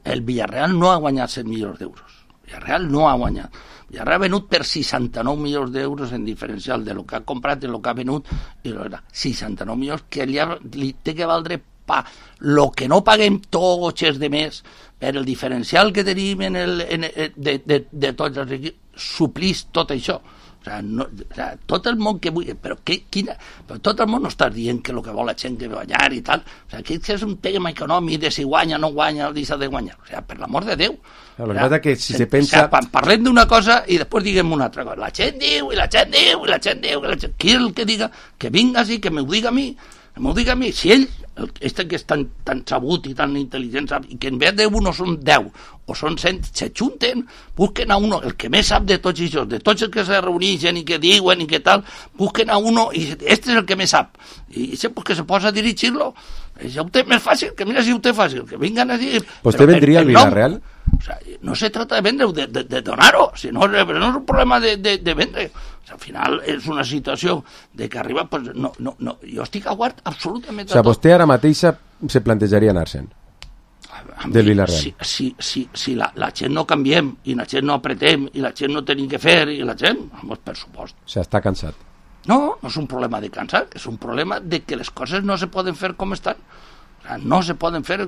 el Villarreal no ha guanyat cent milions d'euros. Villarreal no ha guanyat. Villarreal ha venut per seixanta-nou milions d'euros en diferencial de lo que ha comprat i lo que ha venut, i lo era seixanta-nou milions que li, ha, li té que valdre pa lo que no paguem tots els de més per el diferencial que tenim en el, en, de, de, de tots els equips, suplís tot això. O sea, no, o sea, tot el món que vull... Però, que, quina, però tot el món no està dient que el que vol la gent que guanyar i tal. O sea, que és un tema econòmic de si guanya, no guanya, o deixa de guanyar. O sea, per l'amor de Déu. No, lo que pasa que si se, se O pensa... sea, parlem d'una cosa i després diguem una altra cosa. La gent diu, i la gent diu, i la gent diu... I la gent... Qui és el que diga? Que vinga així, que m'ho diga a mi. Que m'ho diga a mi. Si ell, este que és tan, tan sabut i tan intel·ligent, i que en vez de uno són deu o són cent, se junten, busquen a uno, el que més sap de tots això, de tots els que se reuneixen i que diuen i que tal, busquen a uno i este és el que més sap. I això pues, que se posa a dirigir-lo. Això ho té més fàcil, que mira si ho té fàcil, que vingan a dir... ¿Usted vendría al Villarreal? O sea, no se trata de vendre, de, de, de donar-ho, sino, no és un problema de, de, de vendre. O sea, al final és una situació de que arriba, pues, no, no, no, jo estic a guard absolutament de o sea, tot. vostè ara mateixa se plantejaria anar-se'n del Villarreal. Si, si, si, si la, la gent no canviem i la gent no apretem i la gent no tenim que fer i la gent, vamos, per supost. O sea, està cansat. No, no és un problema de cansar, és un problema de que les coses no se poden fer com estan. O sea, no se poden fer,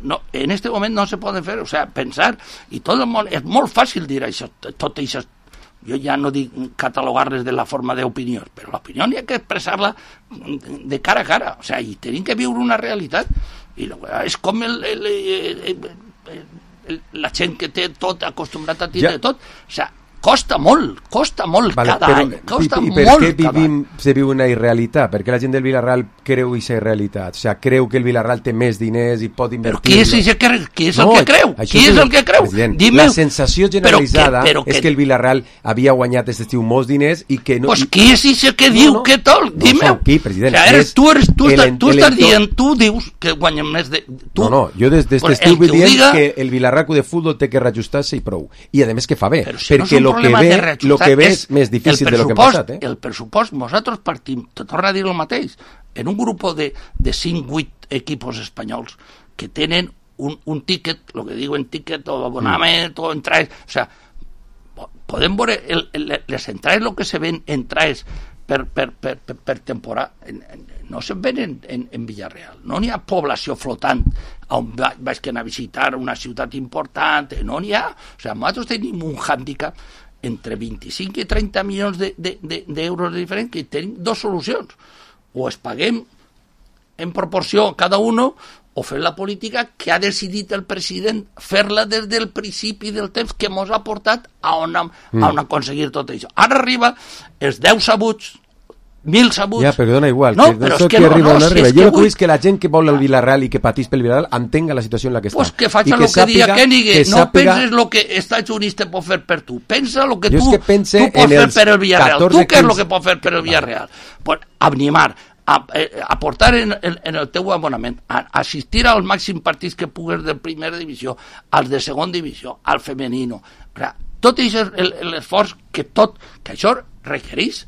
no, en este moment no se poden fer, o sea, pensar, i tot el món, és molt fàcil dir això, tot això, jo ja no dic catalogar-les de la forma d'opinió, però l'opinió hi ha que expressar-la de cara a cara, o sea, i tenim que viure una realitat, i és com el, el, el, el, el, la gent que té tot acostumbrat a tindre ja. tot, o sea, costa molt, costa molt vale, cada però, any, costa i, i per molt què vivim, se viu una irrealitat? Per què la gent del Villarreal creu aquesta irrealitat? O sea, creu que el Villarreal té més diners i pot invertir... Però qui és, ese que, qui és no, el que creu? Qui és el que creu? La sensació generalitzada però que, però que... és que el Villarreal havia guanyat aquest estiu molts diners i que no... Pues qui és ese que diu no, no. que tot? Dime. No qui, president? O sea, eres, tu, eres, tu, el, estàs, tu estàs dient, tu dius que guanyem més de... Tu, no, no, jo des d'este pues estiu vull dir diga... que el Villarreal de futbol té que reajustar-se i prou. I a més que fa bé, però si perquè no lo que ve... Lo que ve és més difícil de lo que ha passat, eh? El pressupost, nosaltres partim, te torna a dir el mateix, en un grup de, de cinc vuit equipos espanyols que tenen un, un ticket, lo que diuen ticket o abonament mm. o entrades, o sea, podem veure el, el, les entrades, lo que se ven entrades per, per, per, per, per temporada, en, en, no se ven en, en, en Villarreal, no n'hi ha població flotant on vaig anar a visitar una ciutat important, no n'hi ha, o sea, nosaltres tenim un hàndicap entre vint-i-cinc i trenta milions d'euros de, de, de, de diferents, que tenim dues solucions. O es paguem en proporció cada uno, o fer la política que ha decidit el president fer-la des del principi del temps que ens ha portat a on, a on aconseguir tot això. Ara arriba els deu sabuts, mil sabuts... Ja, però dona igual. No, que però és que que no, arriba no, o no si arriba. és Jo que el que vull... vull és que la gent que vol el Villarreal i que patís pel Villarreal entenga la situació en la que està. Pues que faci el que, que diga Kenny, no penses lo que està jurista pot fer per tu. Pensa lo que tu, que tu pots fer per el Villarreal. Tu què és lo que pots fer per el Villarreal? Pues animar, a, a, aportar en, en, en el teu abonament, a, assistir als màxims partits que pugues de primera divisió, als de segona divisió, al femenino. O sea, tot això és l'esforç que tot, que això requereix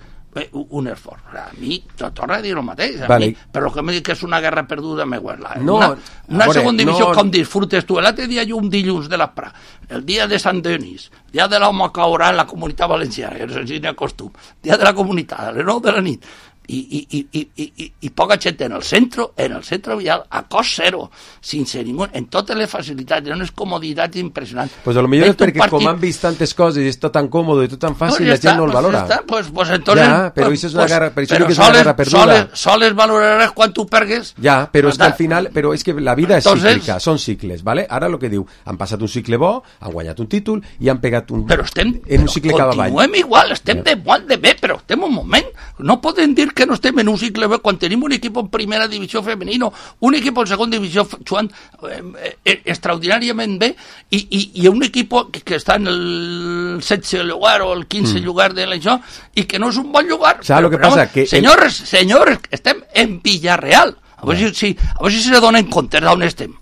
un esforç. A mi, torna a dir el mateix, a vale. mi, però que me dic que és una guerra perduda, me guarda. No, una una veure, segona divisió, no... com disfrutes tu. L'altre dia jo un dilluns de l'Aprà, el dia de Sant Denis, el dia de l'home caurà en la Comunitat Valenciana, que és el cine costum, dia de la Comunitat, a les nou de la nit, i, i, i, i, i, i poca gent en el centre, en el centre vial, a cost zero, sense ningú, en totes les facilitats, en unes comoditats impressionants. Pues a lo millor és perquè partit... com han vist tantes coses i és tot tan còmode i tot tan fàcil, no, la gent està, no el pues valora. Ja pues, pues entonces, ja, però pues, això és una guerra, per això però que és una soles, guerra perduda. Soles, soles valoraràs quan tu pergues. Ja, però és que al final, però és que la vida és entonces, cíclica, són cicles, ¿vale? Ara el que diu, han passat un cicle bo, han guanyat un títol i han pegat un... Però estem, en un cicle però cada avall. Continuem igual, estem ja. de molt de bé, però estem un moment. No podem dir que no estem en un cicle bé quan tenim un equip en primera divisió femenino, un equip en segona divisió jugant eh, eh, extraordinàriament bé i, i, i un equip que, que està en el setze lugar o el quinze mm. lugar de l'això i que no és un bon lugar. ¿Sabes lo que però, pasa? Que senyors, el... senyors, estem en Villarreal. A veure yeah. si, a veure si se donen compte d'on estem.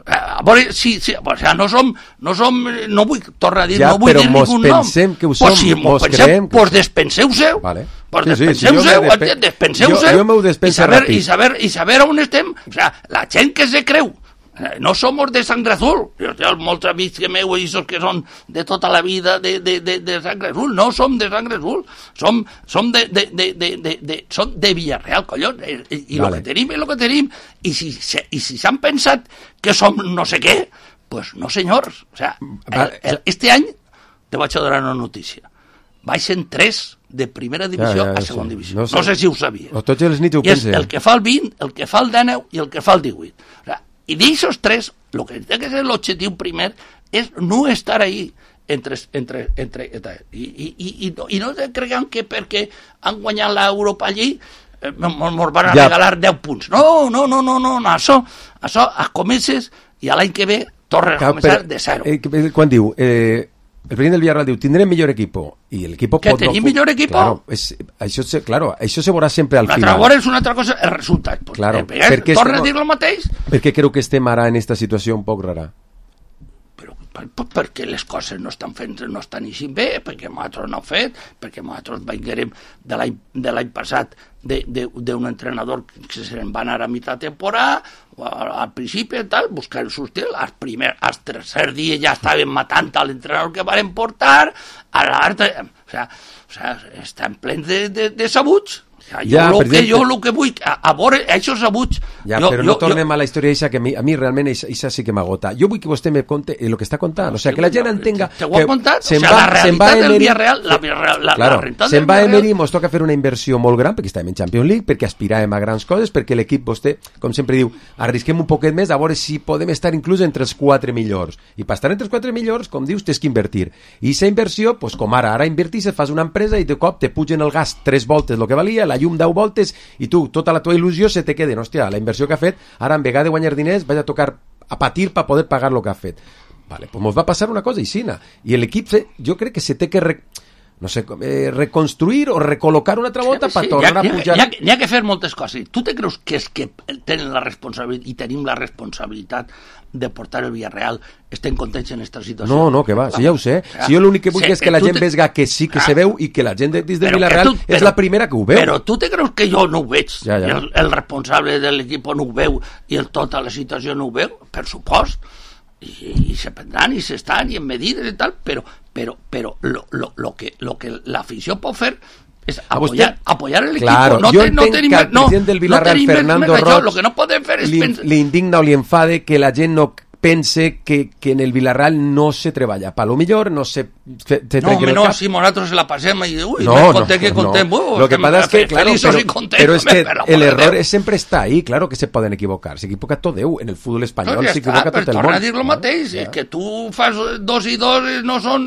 A veure, si, si, o sea, no som, no som, no vull, tornar a dir, ja, no vull dir ningú nom. Ja, però mos pensem que ho som, pues si mos pensem, creiem... Pues despenseu-seu. Vale. Pues sí, despenseu-seu, sí, sí, despenseu-seu. Jo, jo m'ho despensa saber, ràpid. I saber, i saber on estem. O sea, la gent que se creu. No somos de sangre azul. Jo té molts amics que meu, i que són de tota la vida de, de, de, de sangre azul. No som de sangre azul. Som, som de, de, de, de, de, de, som de Villarreal, collons. I, i vale. Lo que tenim és lo que tenim. I si, i si s'han pensat que som no sé què, pues no, senyors. O sea, el, el, este any te vaig a donar una notícia. Baixen tres de primera divisió ja, ja, a segona sí. divisió. No sé, no sé si ho sabies. O tots els nits ho I és el que fa el vint, el que fa el dinou i el que fa el divuit. O sea, i d'aixòs tres, el que té que ser l'objectiu primer és no estar ahí entre, entre, entre, entre i, i, i, i, no, i no creguem que perquè han guanyat l'Europa allí eh, ens van a ja. regalar deu punts. No, no, no, no, no, no. Això, això es comences i l'any que ve tornes a començar de zero. Eh, quan diu... Eh... El president del Villarreal diu, tindrem millor equipo i el equipo que pot tenim no... millor equipo claro, és, això, se, claro, això se veurà sempre al una final. Una altra és una altra cosa, el resultat. Pues, claro, eh, perquè torna a dir el mateix. Perquè creu que estem ara en esta situació un poc rara. Però per, per, perquè les coses no estan fent, no estan així bé, perquè nosaltres no hem fet, perquè nosaltres venguérem de l'any de l'any passat d'un entrenador que se'n va anar a mitjà temporada, al principi i tal, buscant el seu estil, al primer, al tercer dia ja estaven matant a l'entrenador que van portar, a l'altre, o sea, o sea, estan plens de, de, de sabuts. Ja, jo, ja, lo que, jo el que vull, a, a veure, això sabuts... Ja, jo, però jo, no tornem jo... a la història eixa, que a mi, a mi realment això sí que m'agota. Jo vull que vostè me conte el que està contant, no, o sea, que la gent entenga... Te ho he contat, o sea, sea, va, la realitat del Emery, Villarreal, la, la, la, claro, la realitat se'n del va Villarreal... Emery, mos toca fer una inversió molt gran, perquè estàvem en Champions League, perquè aspiràvem a grans coses, perquè l'equip, vostè, com sempre diu, arrisquem un poquet més, a veure si podem estar inclús entre els quatre millors. I per estar entre els quatre millors, com dius, tens que invertir. I aquesta inversió, pues, com ara, ara invertis, fas una empresa i de cop te pugen el gas tres voltes el que valia, la llum deu voltes, i tu, tota la tua il·lusió se te queda, hòstia, la inversió que ha fet, ara en vegada de guanyar diners vaig a tocar a patir per poder pagar el que ha fet. Vale, pues mos va passar una cosa aixina. I l'equip, jo crec que se té que re, no sé, eh, reconstruir o recol·locar una altra volta sí, per sí, tornar ha, a pujar. N'hi ha, ha, ha que fer moltes coses. Tu te creus que és que tenen la responsabilitat i tenim la responsabilitat de portar el Villarreal, estem contents en aquesta situació? No, no, que va, si ja ho sé. Si jo l'únic que vull sí, és que la gent te... vega que sí que ah, se veu i que la gent de, des de Villarreal tu, però, és la primera que ho veu. Però tu te creus que jo no ho veig? Ja, ja. El, el responsable de l'equip no ho veu i el tota la situació no ho veu? Per supost. I, i se prendran i s'estan i en medides i tal, però, però, però lo, lo, lo, que, lo que l'afició pot fer és apoyar, apoyar el equipo. Claro, no yo te, no entenc que al president del Villarreal, no Fernando Roig, lo que no podem fer és li, pens... li indigna o li enfade que la gent no pense que, que en el Villarreal no se treballa. Pa lo millor no se... se, se no, home, no, cap. Si nosaltres la passem i uy, no, me no, conté que contem. No. Uh, Lo que pasa es que, claro, pero, content, pero es que el error Déu. siempre está ahí, claro que se poden equivocar. Se equivoca tot Déu. En el fútbol espanyol no, ja s'equivoca tot el món. Torna a dir el mateix, ja. Que tu fas dos i dos no són...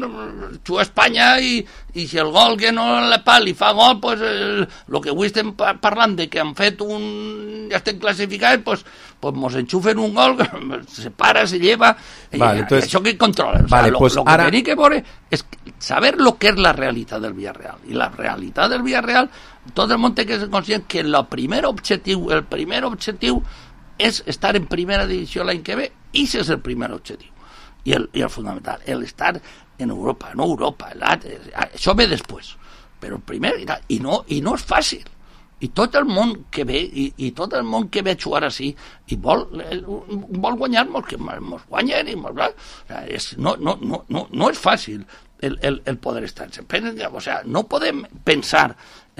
Tu Espanya i, i si el gol que no la pal i fa gol, pues el, lo que avui estem parlant de que han fet un... ja estem classificats, pues, pues mos enxufen un gol, se para, se lleva... Vale, y, entonces, això que controlen. Vale, o sea, lo, pues lo que ara... tenim que veure és saber lo que és la realitat del Villarreal. I la realitat del Villarreal, tot el món té que ser conscient que el primer objectiu, el primer objectiu és estar en primera divisió l'any que ve, i ese és el primer objectiu. I el, i el fundamental, el estar en Europa, no Europa, el, això ve després. Però el primer, i no, i no és fàcil. i tot el món que ve i, i tot el món que ve a jugar així i vol, vol guanyar-nos, que ens guanyen i mos, és, no, no, no, no, no és fàcil el, el, el poder estar, o sea, no podem pensar,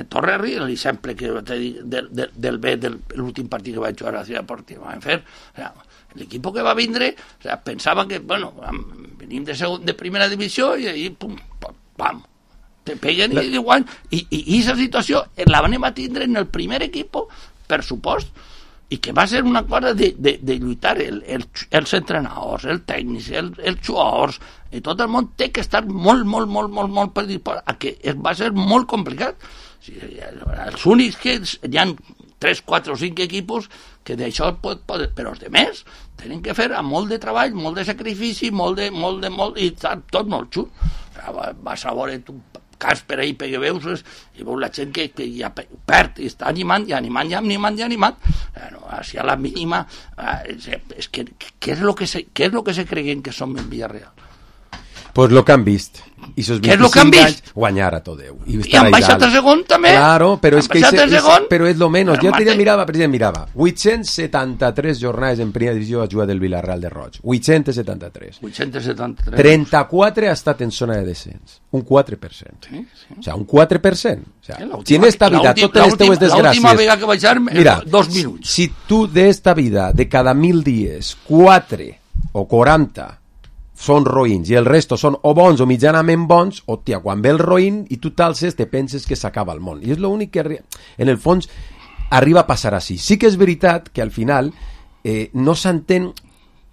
torno a dir l'exemple que del, del, del B de l'últim partit que vaig jugar a la Ciutat Deportiva vam fer, o sea, l'equip que va vindre, o sea, pensava que, bueno, venim de, segon, de primera divisió i ahí, pum, pum, pam, te peguen i igual, i aquesta situació la vam a tindre en el primer equip, per supost, i que va ser una cosa de, de, de lluitar el, el, els entrenadors, el tècnic, el, els jugadors, i tot el món té que estar molt, molt, molt, molt, molt predisposat a que es va ser molt complicat. O sigui, els únics que hi ha tres, quatre o cinc equipos que d'això pot, pot, però els demés tenen que fer amb molt de treball, molt de sacrifici, molt de, molt de, molt, i tot molt xut. O sigui, vas a veure tu cas per ahí perquè veus i veus la gent que, que ja perd i està animant i animant i animant i animant bueno, així a la mínima eh, és que què és lo que se, què és lo que se creguen que som en Villarreal? Pues lo que han vist i sos vint-i-cinc anys guanyar a tot Déu i, i han baixat a segon també claro, però és que ese, és, però és lo menos jo te mirava, president, mirava vuit-cents setanta-tres jornades en primera divisió a jugar del Villarreal de Roig vuit-cents setanta-tres vuit-cents setanta-tres trenta-quatre ha estat en zona de descens un quatre per cent sí, sí. o sea, un quatre per cent o sea, si en esta vida totes les teues desgràcies l'última vegada que baixar mira, dos minuts si tu d'esta vida de cada mil dies quatre o quaranta són roïns i el resto són o bons o mitjanament bons, hòstia, quan ve el roïn i tu t'alces te penses que s'acaba el món. I és l'únic que en el fons arriba a passar així. Sí que és veritat que al final eh, no s'entén,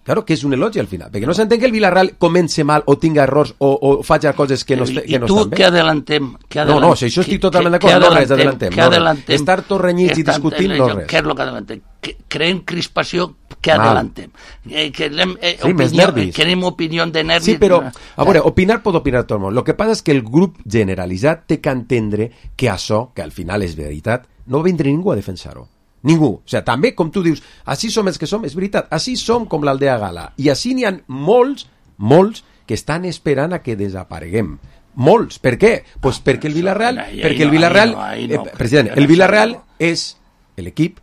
claro que és un elogi al final, perquè no s'entén que el Villarreal comence mal o tinga errors o, o faci coses que no, que no estan bé. I tu què adelantem? No, no, si això estic totalment d'acord, no res adelantem. Què adelantem? Estar tot renyits i discutint, no res. Què és el que adelantem? Creen crispació, què adelantem? Eh, que anem, eh, sí, més nervis. Querem opinió de nervis. Sí, però, a veure, opinar pot opinar tot el món. El que passa és que el grup generalitzat té que entendre que això, que al final és veritat, no vindrà ningú a defensar-ho. Ningú. O sigui, també, com tu dius, així som els que som, és veritat, així som com l'Aldea Gala. I així n'hi ha molts, molts, que estan esperant a que desapareguem. Molts. Per què? Pues perquè el Villarreal, perquè el Villarreal, eh, president, el Villarreal és l'equip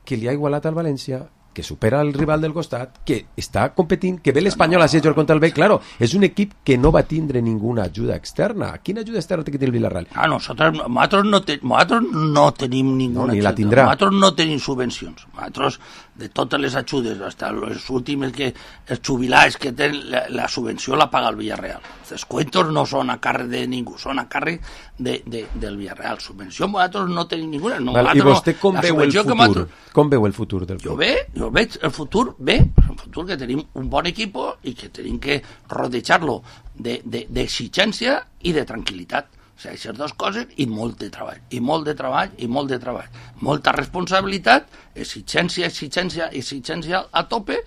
que li ha igualat al València, que supera el rival del costat, que està competint, que ve l'Espanyol a ser jugar contra el B. Claro, és un equip que no va tindre ninguna ajuda externa. Quina ajuda externa té que tenir el Villarreal? Ah, nosaltres, nosaltres, no, te, nosaltres no tenim ninguna no, ni ajuda. La tindrà. Nosaltres no tenim subvencions. Nosaltres, de totes les ajudes, fins les últimes que els jubilats que tenen, la, la subvenció la paga el Villarreal. Els descuentos no són a càrrec de ningú, són a càrrec de, de, del Villarreal. Subvenció nosaltres no tenim ninguna. No, Val, I vostè com no, veu el futur? Nosaltres... Com veu el futur del club? Jo bé, jo veig el futur bé, el futur que tenim un bon equip i que tenim que rodejar-lo d'exigència i de tranquil·litat. O sigui, aquestes dues coses i molt de treball, i molt de treball, i molt de treball. Molta responsabilitat, exigència, exigència, exigència a tope,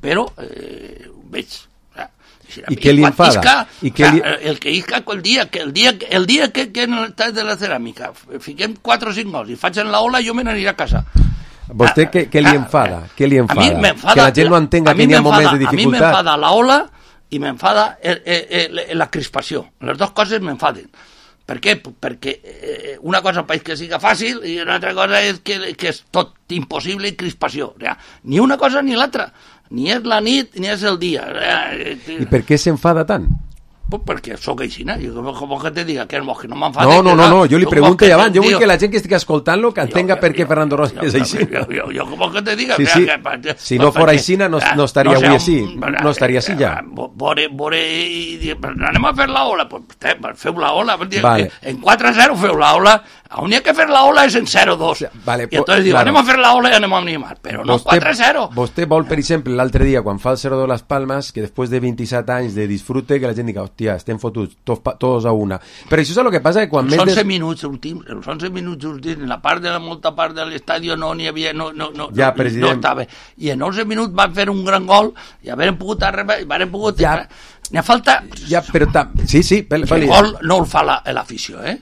però eh, ho veig. I què li enfada? Isca, I què li... El que isca el dia que el dia, el dia que, que en el tall de la ceràmica fiquem quatre o cinc gols i faig en la ola, jo me n'aniré a casa. Vostè què, què li enfada? Què li enfada? A mi m'enfada, que la gent no entenga que n'hi ha moments de dificultat. A mi m'enfada la ola i m'enfada el, el, el, la crispació. Les dues coses m'enfaden. Per què? Perquè eh, una cosa és que siga fàcil i una altra cosa és que, que és tot impossible i crispació. O sigui, ni una cosa ni l'altra. Ni és la nit ni és el dia. I per què s'enfada tant? Pues perquè sóc aixina, jo com que te diga que, que no m'enfade. No, no, no, no, jo li pregunto ja abans, jo vull que la gent que estigui escoltant-lo que entenga per què Fernando Rossi és aixina. Jo, jo, jo com que te diga... Sí, sí. Que, si no fos aixina no, no estaria avui així, no estaria així ja. Vore, vore, i anem a fer la ola, pues feu la ola, vale. En quatre a zero feu la ola, on hi ha que fer la ola és en zero a dos. Vale, I entonces diu, claro. Anem a fer la ola i anem a animar, però no vostè, quatre a zero. Vostè vol, per exemple, l'altre dia, quan fa el zero dos Las Palmas, que després de vint-i-set anys de disfrute, que la gent diga, hòstia, estem fotuts, todos a una. Però això és el que passa que quan... Els onze des... minuts últims, els onze minuts últims, en la part de la molta part de l'estadi no n'hi havia, no, no, no, ja, no, no estava. I en onze minuts van fer un gran gol i haurem pogut arribar, haurem pogut... Ja. N'hi ha falta... Ja, però tam... Sí, sí. Pel, el gol no el fa l'afició, eh?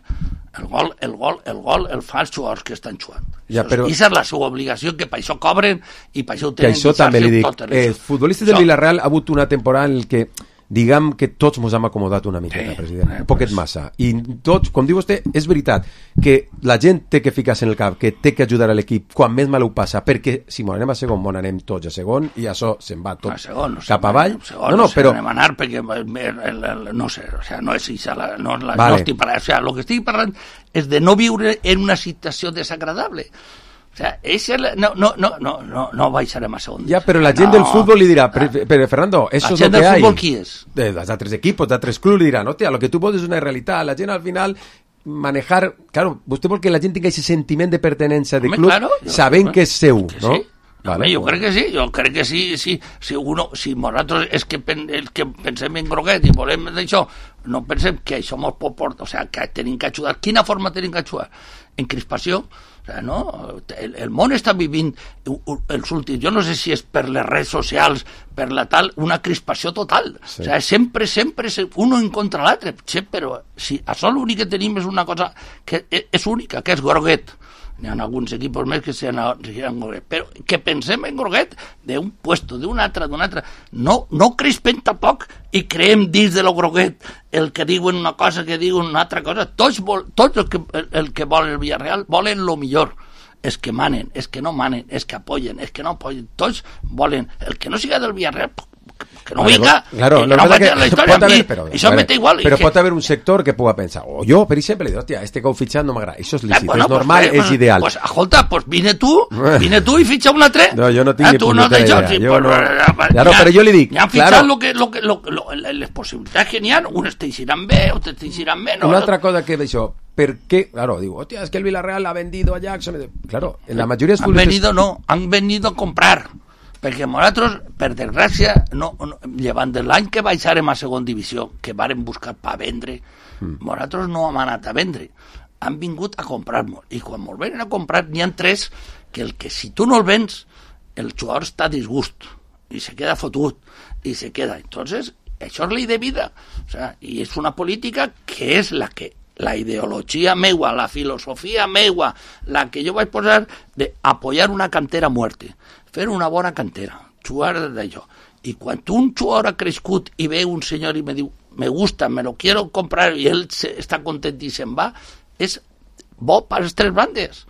El gol, el gol, el gol el fan els jugadors que estan jugant. Ja, però... Aquesta és la seva obligació, que per això cobren i per això ho tenen. Que això també li dic. Els futbolistes del Villarreal ha hagut una temporada en què diguem que tots ens hem acomodat una miqueta, sí, president, eh, un poquet pues... massa. I tots, com diu vostè, és veritat que la gent té que ficar-se en el cap, que té que ajudar a l'equip quan més mal ho passa, perquè si m'ho anem a segon, m'ho anem tots a segon i això se'n va tot segon, no cap avall. Segon, no, no, però... anem a anar perquè, el, el, el, no sé, o sea, no és això, no, la, vale. no estic parlant, o sea, el que estic parlant és de no viure en una situació desagradable. O sea, ese no, no, no, no, no, no baixarem a segon. Ja, però la gent no. del futbol li dirà, però, però Fernando, eso es lo que hay. La gent del futbol qui és? De, dels altres equipos, d'altres clubs li diran, hòstia, lo que tu vols és una realitat, la gent al final manejar, claro, vostè vol que la gent tingui aquest sentiment de pertenència de club, claro, sabent que és seu, que no? Sí. Vale, jo crec que sí, jo crec que sí, sí, si uno, si nosaltres és que, pen, és que pensem en groguet i volem d'això, no pensem que això mos pot portar, o sigui, que tenim que ajudar. Quina forma tenim que ajudar? En crispació. O sigui, no? El, el món està vivint els últims, jo no sé si és per les redes socials, per la tal, una crispació total. Sí. O sigui, sempre, sempre, uno en contra l'altre, sí, però si això l'únic que tenim és una cosa que és única, que és groguet. N'hi ha alguns equipos més que sean en groguet, però que pensem en groguet d'un puesto, d'un altre, d'un altre. No, no crispem tampoc i creem dins de lo groguet el que diuen una cosa, que diuen una altra cosa. Tots, vol, tots el, que, el, el que volen el Villarreal volen lo millor. És que manen, és que no manen, és que apoyen, és que no apoyen. Tots volen. El que no siga del Villarreal, que no vale, venga, claro, que no mete en la història, haver, però, això vale, mete igual. Però que... pot haver un sector que puga pensar, o jo, per exemple, dic, hòstia, este que heu fitxat no m'agrada, això és lícit, eh, bueno, és normal, pues, és ideal. Pues, escolta, pues vine tu, vine tu i fitxa un altre. No, jo no tinc eh, ni punyetera no idea. Sí, jo pues, no... ja, claro, però jo li dic, ja han fitxat claro, lo que, lo que, lo, lo, les possibilitats que n'hi ha, unes t'eixiran bé, altres t'eixiran menys. Una altra cosa que d'això, per què, claro, digo, hòstia, es que el Villarreal ha vendido a Jackson. Claro, en la majoria de han venido, no, han venido a comprar. Perquè nosaltres, per desgràcia, no, no, llevant de l'any que baixarem a segon divisió, que vàrem buscar per vendre, mm. nosaltres no hem anat a vendre, han vingut a comprar-nos, i quan ens venen a comprar n'hi ha tres que el que si tu no el vens, el jugador està a disgust, i se queda fotut, i se queda. Entonces, això és llei de vida, o sea, i és una política que és la que la ideologia meua, la filosofia meua, la que jo vaig posar de apoyar una cantera a muerte, fer una bona cantera, jugar d'allò. I quan un jugador ha crescut i ve un senyor i me diu, me gusta, me lo quiero comprar, i ell se, està content i se'n va, és bo per les tres bandes.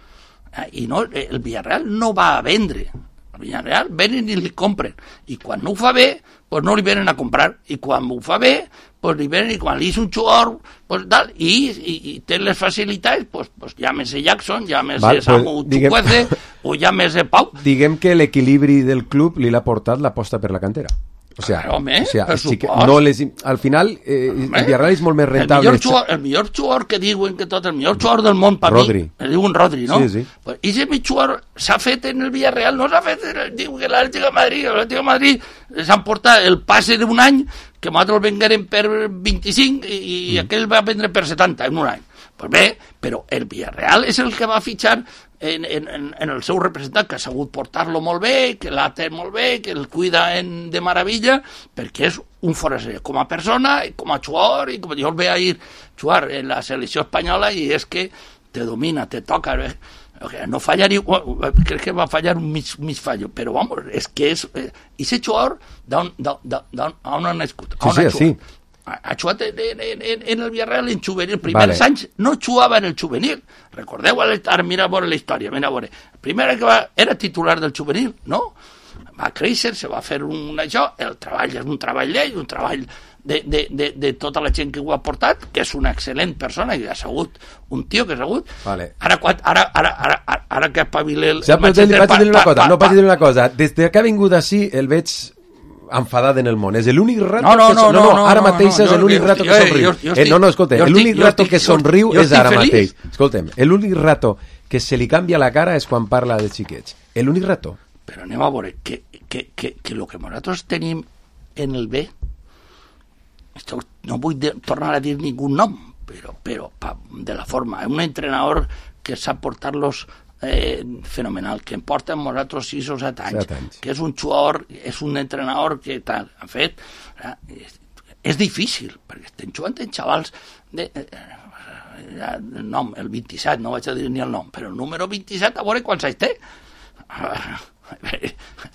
I no, el Villarreal no va a vendre, el Villarreal venen i li compren, i quan no ho fa bé, pues no li venen a comprar, i quan ho fa bé, pues li venen, i quan li és un jugador, pues tal, i, i, i té les facilitats, pues, pues llámese Jackson, llámese Samu Chukwueze, o llámese Pau. Diguem que l'equilibri del club li l'ha portat l'aposta per la cantera. O sea, claro, home, o sea sí que no les, al final eh, el Villarreal és molt més rentable. El millor, jugador, el millor jugador que diuen que tot, el millor jugador del món per Rodri. mi, el diuen Rodri, no? Sí, sí. Pues, i ese jugador s'ha fet en el Villarreal, no s'ha fet en el, diu que l'Atlético de Madrid, l'Atlético de Madrid s'han portat el passe d'un any que nosaltres el venguérem per vint-i-cinc i, i mm. aquell va vendre per setanta en un any. Pues bé, però el Villarreal és el que va fitxar en, en, en el seu representant, que ha sabut portar-lo molt bé, que l'ha té molt bé, que el cuida en, de meravella, perquè és un foraster com a persona, i com a jugador, i com jo el veig ir jugar en la selecció espanyola i és que te domina, te toca, eh? No fallaria, crec que va fallar un mig, mig fallo, però vamos, és que és... Eh, i ese jugador d'on ha nascut? Sí, sí, sí. Ha jugat en, en, en, en el Villarreal en juvenil. Primers vale. anys no jugava en el juvenil. Recordeu, ara mira a veure la història, mira a veure. El primer que va, era titular del juvenil, no? Va créixer, se va fer un això, el treball és un treball d'ell, un treball de, de, de, de tota la gent que ho ha portat, que és una excel·lent persona, i ha sigut un tio que ha sigut. Vale. Ara, ara, ara, ara, ara, ara que espavile el... Ja, però vaig dir una cosa, no vaig dir una cosa. Des que ha vingut així, el veig enfadat en el món. És l'únic rato no, no, que... No, no, no, ara no, mateix no, no, és l'únic rato que somriu. No, no, escolta, l'únic rato que somriu és ara mateix. Escolta'm, l'únic rato que se li canvia la cara és quan parla de xiquets. L'únic rato. Però anem a veure, que, que, que, que el que nosaltres tenim en el B, no vull de, tornar a dir ningú nom, però, però pa, de la forma, un entrenador que sap portar-los Eh, fenomenal, que em porta amb nosaltres sis o set anys, anys, que és un jugador, és un entrenador que tal, ha fet, eh, és, és difícil, perquè estem jugant en xavals de, eh, el nom, el vint-i-set, no vaig a dir ni el nom, però el número vint-i-set, a veure quants anys té.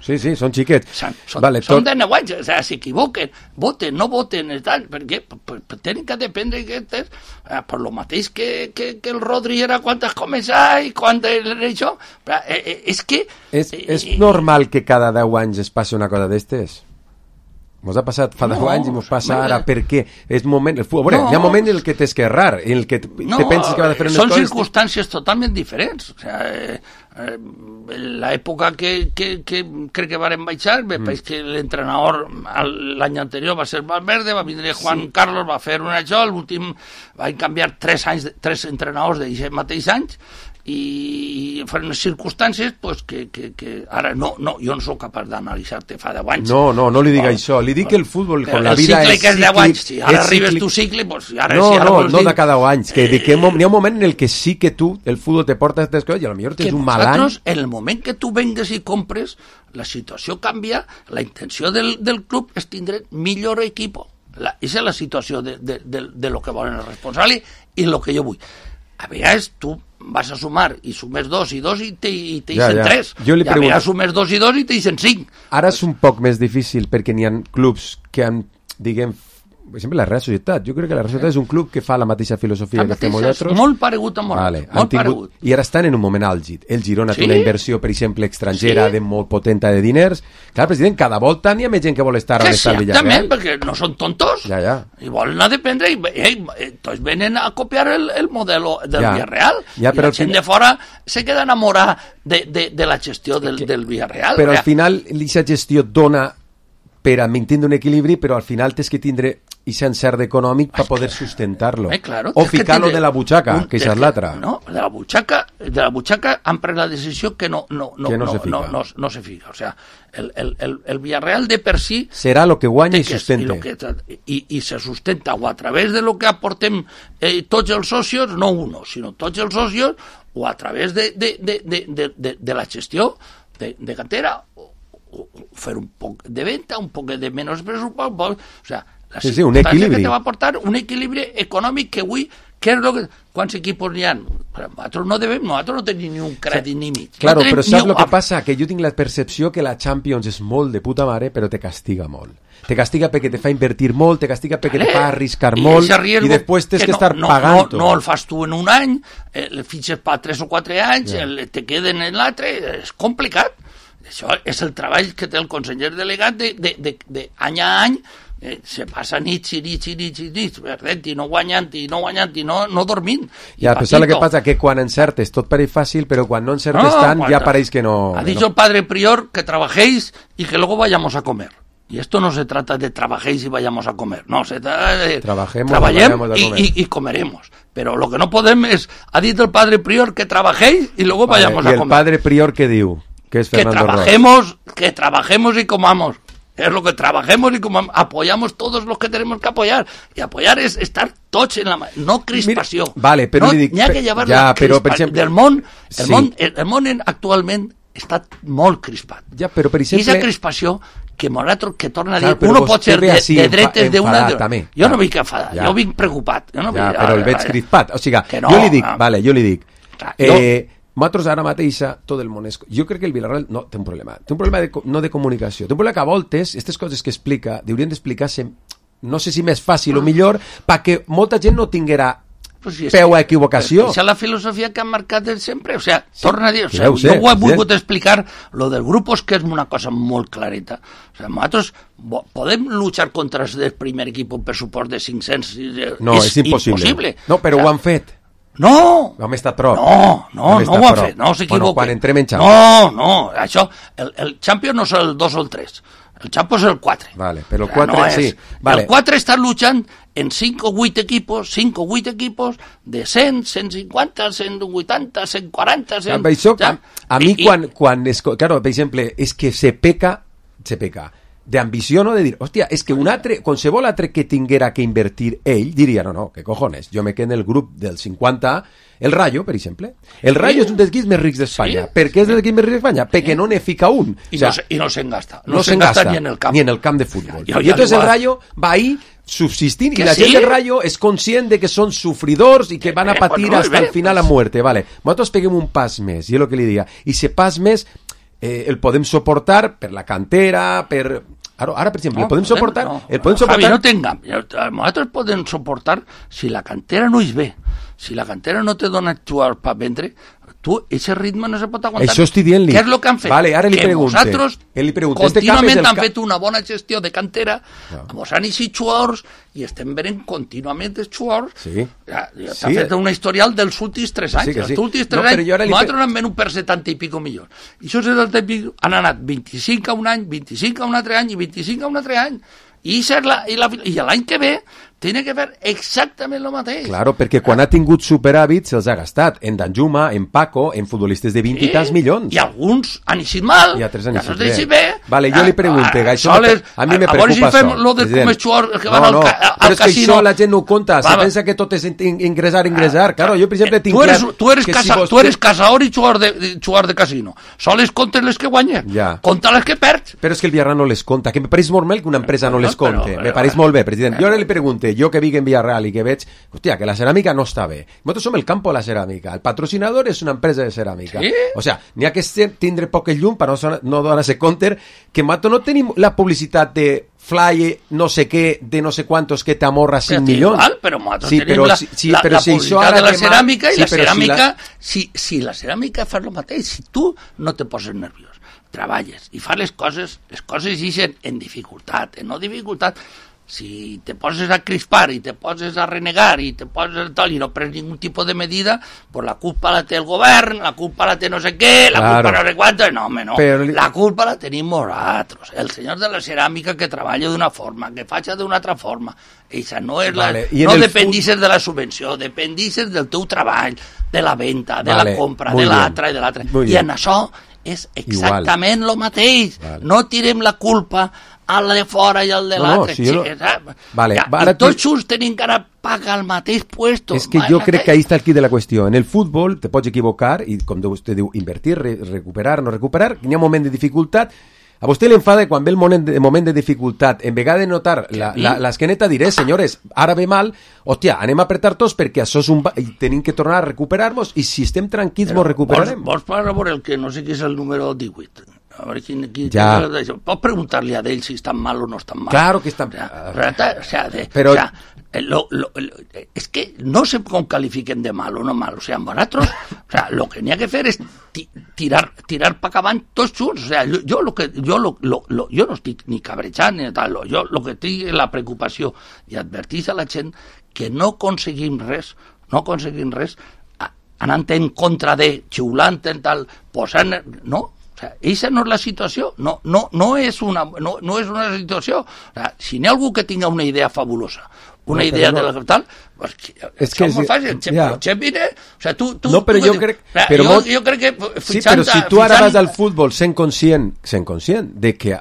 Sí, sí, són xiquets. Són, són, vale, són tot... de nou anys, o sigui, s'equivoquen, voten, no voten, tal, perquè pues, tenen que dependre aquestes, eh, per lo mateix que, que, que el Rodri era quan has començat i quan era això. Però, eh, eh, és que... És, eh, és normal que cada deu anys es passi una cosa d'estes? Mos ha passat fa deu no, anys i mos passa no, ara, per què? És moment, el futbol, no, hi ha moments en el que t'és que errar, en el que no, te penses que va de fer unes són coses... Són circumstàncies totalment diferents. O sea, eh, eh, l'època que, que, que crec que varen baixar, me mm. pareix que l'entrenador l'any anterior va ser Valverde, va vindre Juan sí. Carlos, va fer un això, l'últim van canviar tres anys, tres entrenadors d'aquests mateix anys, i fan unes circumstàncies pues, que, que, que ara no, no, jo no sóc capaç d'analitzar-te fa deu anys. No, no, no li dic oh, això, li dic que el futbol con la vida és cíclic. El cicle que és deu anys, si ara arribes cíclic... tu cicle, pues, ara, no, si ara no, vols no dir... de cada anys, que, eh, que n'hi ha un moment en el que sí que tu, el futbol te porta aquestes coses i potser tens un mal any. En el moment que tu vengues i compres, la situació canvia, la intenció del, del club és tindre millor equip. La, és la situació de, de, de, de lo que volen els responsables i lo que jo vull. A vegades tu vas a sumar i sumes dos i dos i te, i te ja, dicen ja. tres. I a vegades sumes dos i dos i te dicen cinc. Ara és un poc més difícil perquè n'hi ha clubs que han, diguem, per exemple, la Real Societat. Jo crec que la Real Societat és un club que fa la mateixa filosofia la que fem nosaltres. Molt paregut amb vale, molt tingut, paregut. I ara estan en un moment àlgid. El Girona sí? té una inversió, per exemple, estrangera sí? de molt potenta de diners. Clar, president, cada volta n'hi ha més gent que vol estar on està el Villarreal. Exactament, perquè no són tontos. Ja, ja. I volen a dependre i eh, tots venen a copiar el, el model del ja. Villarreal. Ja, I la gent de fora se queda enamorada de, de, de la gestió del, del Villarreal. Però al final, aquesta gestió dona per a mantenir un equilibri, però al final tens que tindre i ser encert econòmic per poder sustentar-lo. Eh, claro, o ficar-lo de la butxaca, un, que és l'altra. No, de la butxaca, de la butxaca han pres la decisió que no, no, no, que no, no, se no, no, no se fica. O sea, el, el, el, el Villarreal de per si... Serà lo que guanya i sustenta. I, i, I se sustenta o a través de lo que aportem eh, tots els socios, no uno, sinó tots els socios, o a través de, de, de, de, de, de, de la gestió de, de cantera, fer un poc de venta, un poc de menys pressupost, o sea, la sí, sí, un equilibri que te va aportar un equilibri econòmic que avui, què és lo que, quants equipos n'hi ha? Nosaltres no devem, nosaltres no tenim ni un crèdit ni mig. Claro, no però saps el que passa? Que jo tinc la percepció que la Champions és molt de puta mare, però te castiga molt. Te castiga perquè te fa invertir molt, te castiga perquè vale. te fa arriscar I molt i després tens que, que no, estar no, pagant. No, no el fas tu en un any, el fitxes per tres o quatre anys, yeah. el, te queden en l'altre, és complicat. Això és el treball que té el conseller delegat de, de, de, de any a any, eh, se passa nits i nits i nits i nits, perdent i no guanyant i no guanyant i no, no dormint. Ja, però saps el que passa? Que quan encertes tot pareix fàcil, però quan no encertes no, tant ja pareix que no... Ha dit no. el padre prior que trabajéis y que luego vayamos a comer. Y esto no se trata de trabajéis y vayamos a comer, no, se trata de Trabajemos trabajemos y, y, y comeremos. Pero lo que no podemos es, ha dicho el padre prior que trabajéis y luego vale, vayamos a comer. ¿Y el padre prior qué diu? Que, es que trabajemos, Ross. que trabajemos y comamos. Es lo que trabajemos y comamos. Apoyamos todos los que tenemos que apoyar. Y apoyar es estar tots en la mà. No crispació. Mira, vale, però no, li dic... N'hi ha que llevar ja, la però, per exemple, del món. El, sí. món, el, el món actualment està molt crispat. Ja, però per exemple... I aquesta crispació que nosaltres, que torna a dir, clar, uno pot ser de, de dretes d'una... De... Jo no vinc enfadat, ja. jo vinc preocupat. Jo no ja, vinc, però el veig crispat. O sigui, no, jo li dic, no. vale, jo li dic... Clar, eh, jo... Nosaltres ara mateixa, tot el món és... Jo crec que el Villarreal no té un problema. Té un problema de, no de comunicació. Té un problema que a voltes, aquestes coses que explica, haurien d'explicar-se, no sé si més fàcil o millor, perquè molta gent no tinguera pues si peu a equivocació. Esa és la filosofia que han marcat sempre. O sea, sí, torna a dir, o sea, jo ho he volgut explicar, lo del grup és que és una cosa molt clareta. O sea, nosaltres podem luchar contra el primer equip un pressupost de cinc-cents... No, és, és impossible. impossible. No, però o sea, ho han fet. No! Vam estar prop. No, no, no ho han fet, no s'equivoquen. Bueno, quan entrem en Champions. No, no, això, el, el Champions no és el dos o el tres, el Champions és el quatre. Vale, però el quatre, no sí. Vale. El quatre està luchant en cinc o vuit equipos, cinc o vuit equipos de cent, cent cinquanta, cent vuitanta, cent quaranta... cent... Això, a, a mi I, quan, quan es, claro, per exemple, és que se peca, se peca, d'ambició, no? De dir, hòstia, és que un altre, qualsevol altre que tinguera que invertir ell, diria, no, no, que cojones, jo me quedo en el grup del cinquanta, el Rayo, per exemple. El Rayo sí. és un dels equips més rics d'Espanya. Sí. Per què és dels equips més rics d'Espanya? Perquè no ne fica un. I, o sea, no, se, i no se'n gasta. No, no se'n gasta ni en el camp. Ni en el camp de futbol. Ja, ja, I entonces el Rayo va ahí subsistint i la sí? gent del Rayo és conscient de que són sufridors i que van a patir eh, bueno, hasta el final a muerte. Vale. Nosaltres peguem un pas més, i és el que li diga. I se pas més eh, el podem suportar per la cantera, per... Ara, ara per exemple, no, el podem suportar... No, el podem no, suportar... Javi, no t'engam. Nosaltres podem suportar si la cantera no és bé, si la cantera no te dona jugar per vendre, tu, ese ritme no se pot aguantar. Això estic dient-li. Què és el que han fet? Vale, ara li que pregunte. nosaltres li pregunte. contínuament este han ca... fet una bona gestió de cantera, no. mos han eixit jugadors i estem venent contínuament els jugadors. Sí. Ja, ja sí. T'ha fet una historial dels últims tres anys. Sí, sí. Els últims tres no, anys, li... nosaltres n'han venut per setanta i pico milions. I això setanta i pico han anat vint-i-cinc a un any, vint-i-cinc a un altre any i vint-i-cinc a un altre any. I, la, i, la, i l'any que ve tiene que fer exactament el mateix. Claro, perquè quan ha tingut superàvit se'ls ha gastat en Danjuma, en Paco, en futbolistes de vint sí, i tants milions. I alguns han eixit mal, i altres han eixit bé. bé. Vale, jo li pregunte, ah, això soles, a mi me a preocupa si fem això. Lo de com és jugar, que van no, al, no, ca, al però és casino. Que això la gent no ho compta, se pensa que tot és ingressar, ingressar. Claro, jo, per exemple, tinc tu eres, clar... Tu eres, que casa, si vos... tu eres casador i jugador de, de, jugador de casino. Soles comptes les que guanyes, ja. compta les que perds. Però és que el Villarreal no les compta, que me pareix normal que una empresa no les compte. Me pareix molt bé, president. Jo ara li pregunte, jo que vic en Villarreal i que veig, hòstia, que la ceràmica no està bé. Nosaltres som el campo de la ceràmica. El patrocinador és una empresa de ceràmica. ¿Sí? O sea, n'hi ha que tindre poc el llum per no, no donar-se compte que nosaltres no tenim la publicitat de fly no sé què, de no sé quantos que t'amorra cinc milions. Igual, però nosaltres sí, tenim però, la, sí, sí, la, però la si publicitat de la demà... ceràmica i sí, la ceràmica, si la... Si, si la ceràmica fa el mateix, si tu no te poses nerviós, treballes i fas les coses, les coses ixen en dificultat, en no dificultat. Si te poses a crispar i te poses a renegar i te poses tal i no prens ningún tipus de medida, pues la culpa la té el govern, la culpa la té no sé què, la claro. culpa no sé quanto, no, home, no. Però... La culpa la tenim nosaltres, el senyor de la ceràmica que treballa d'una forma, que faci d'una altra forma. Eixa no és la... Vale. No dependisses fut... de la subvenció, dependisses del teu treball, de la venda, de vale. la compra, Muy de l'altra i de l'altra. I en això és exactament el mateix. Vale. No tirem la culpa al de fora i al de no, l'altre. No, si no... vale, ja, I tots tu... junts tenim que anar pagar el mateix puesto. És que jo crec que ahí està el quid de la qüestió. En el futbol te pots equivocar i, com vostè diu, invertir, re recuperar, no recuperar, n'hi ha un moment de dificultat. A vostè l'enfada quan ve el moment de, moment de dificultat, en vegada de notar l'esqueneta, diré, senyores, ara ve mal, hòstia, anem a apretar tots perquè això és un... i tenim que tornar a recuperar-nos i si estem tranquils mos recuperarem. Vols parlar per el que no sé què és el número divuit? A veure, quin, quin, ja. Pots preguntar-li a d'ell si estan mal o no estan mal. Claro que estan mal. O sea, o sea, de, Però... o sea, lo, lo, lo, es que no sé com califiquen de mal o no mal. O sea, nosaltres, o sea, lo que n'hi ha que fer és tirar, tirar pa acabant tots junts. O sea, jo, jo, lo que, jo, lo, lo, lo, jo no estic ni cabrejant ni tal. Jo lo que tinc és la preocupació i advertís a la gent que no aconseguim res, no aconseguim res anant en contra de, xiulant en tal, posant... No? O sea, esa no és la situació, no, no, no, és, una, no, no és una situació. O sea, si n'hi ha algú que tinga una idea fabulosa, una no, idea no. de la tal, pues, és que és molt fàcil, el ja. Chepine, o sea, tu, tu, no, però tu, jo crec, o sea, però jo, molt... jo crec que sí, però si tu ara vas al futbol sent conscient, sent conscient de que,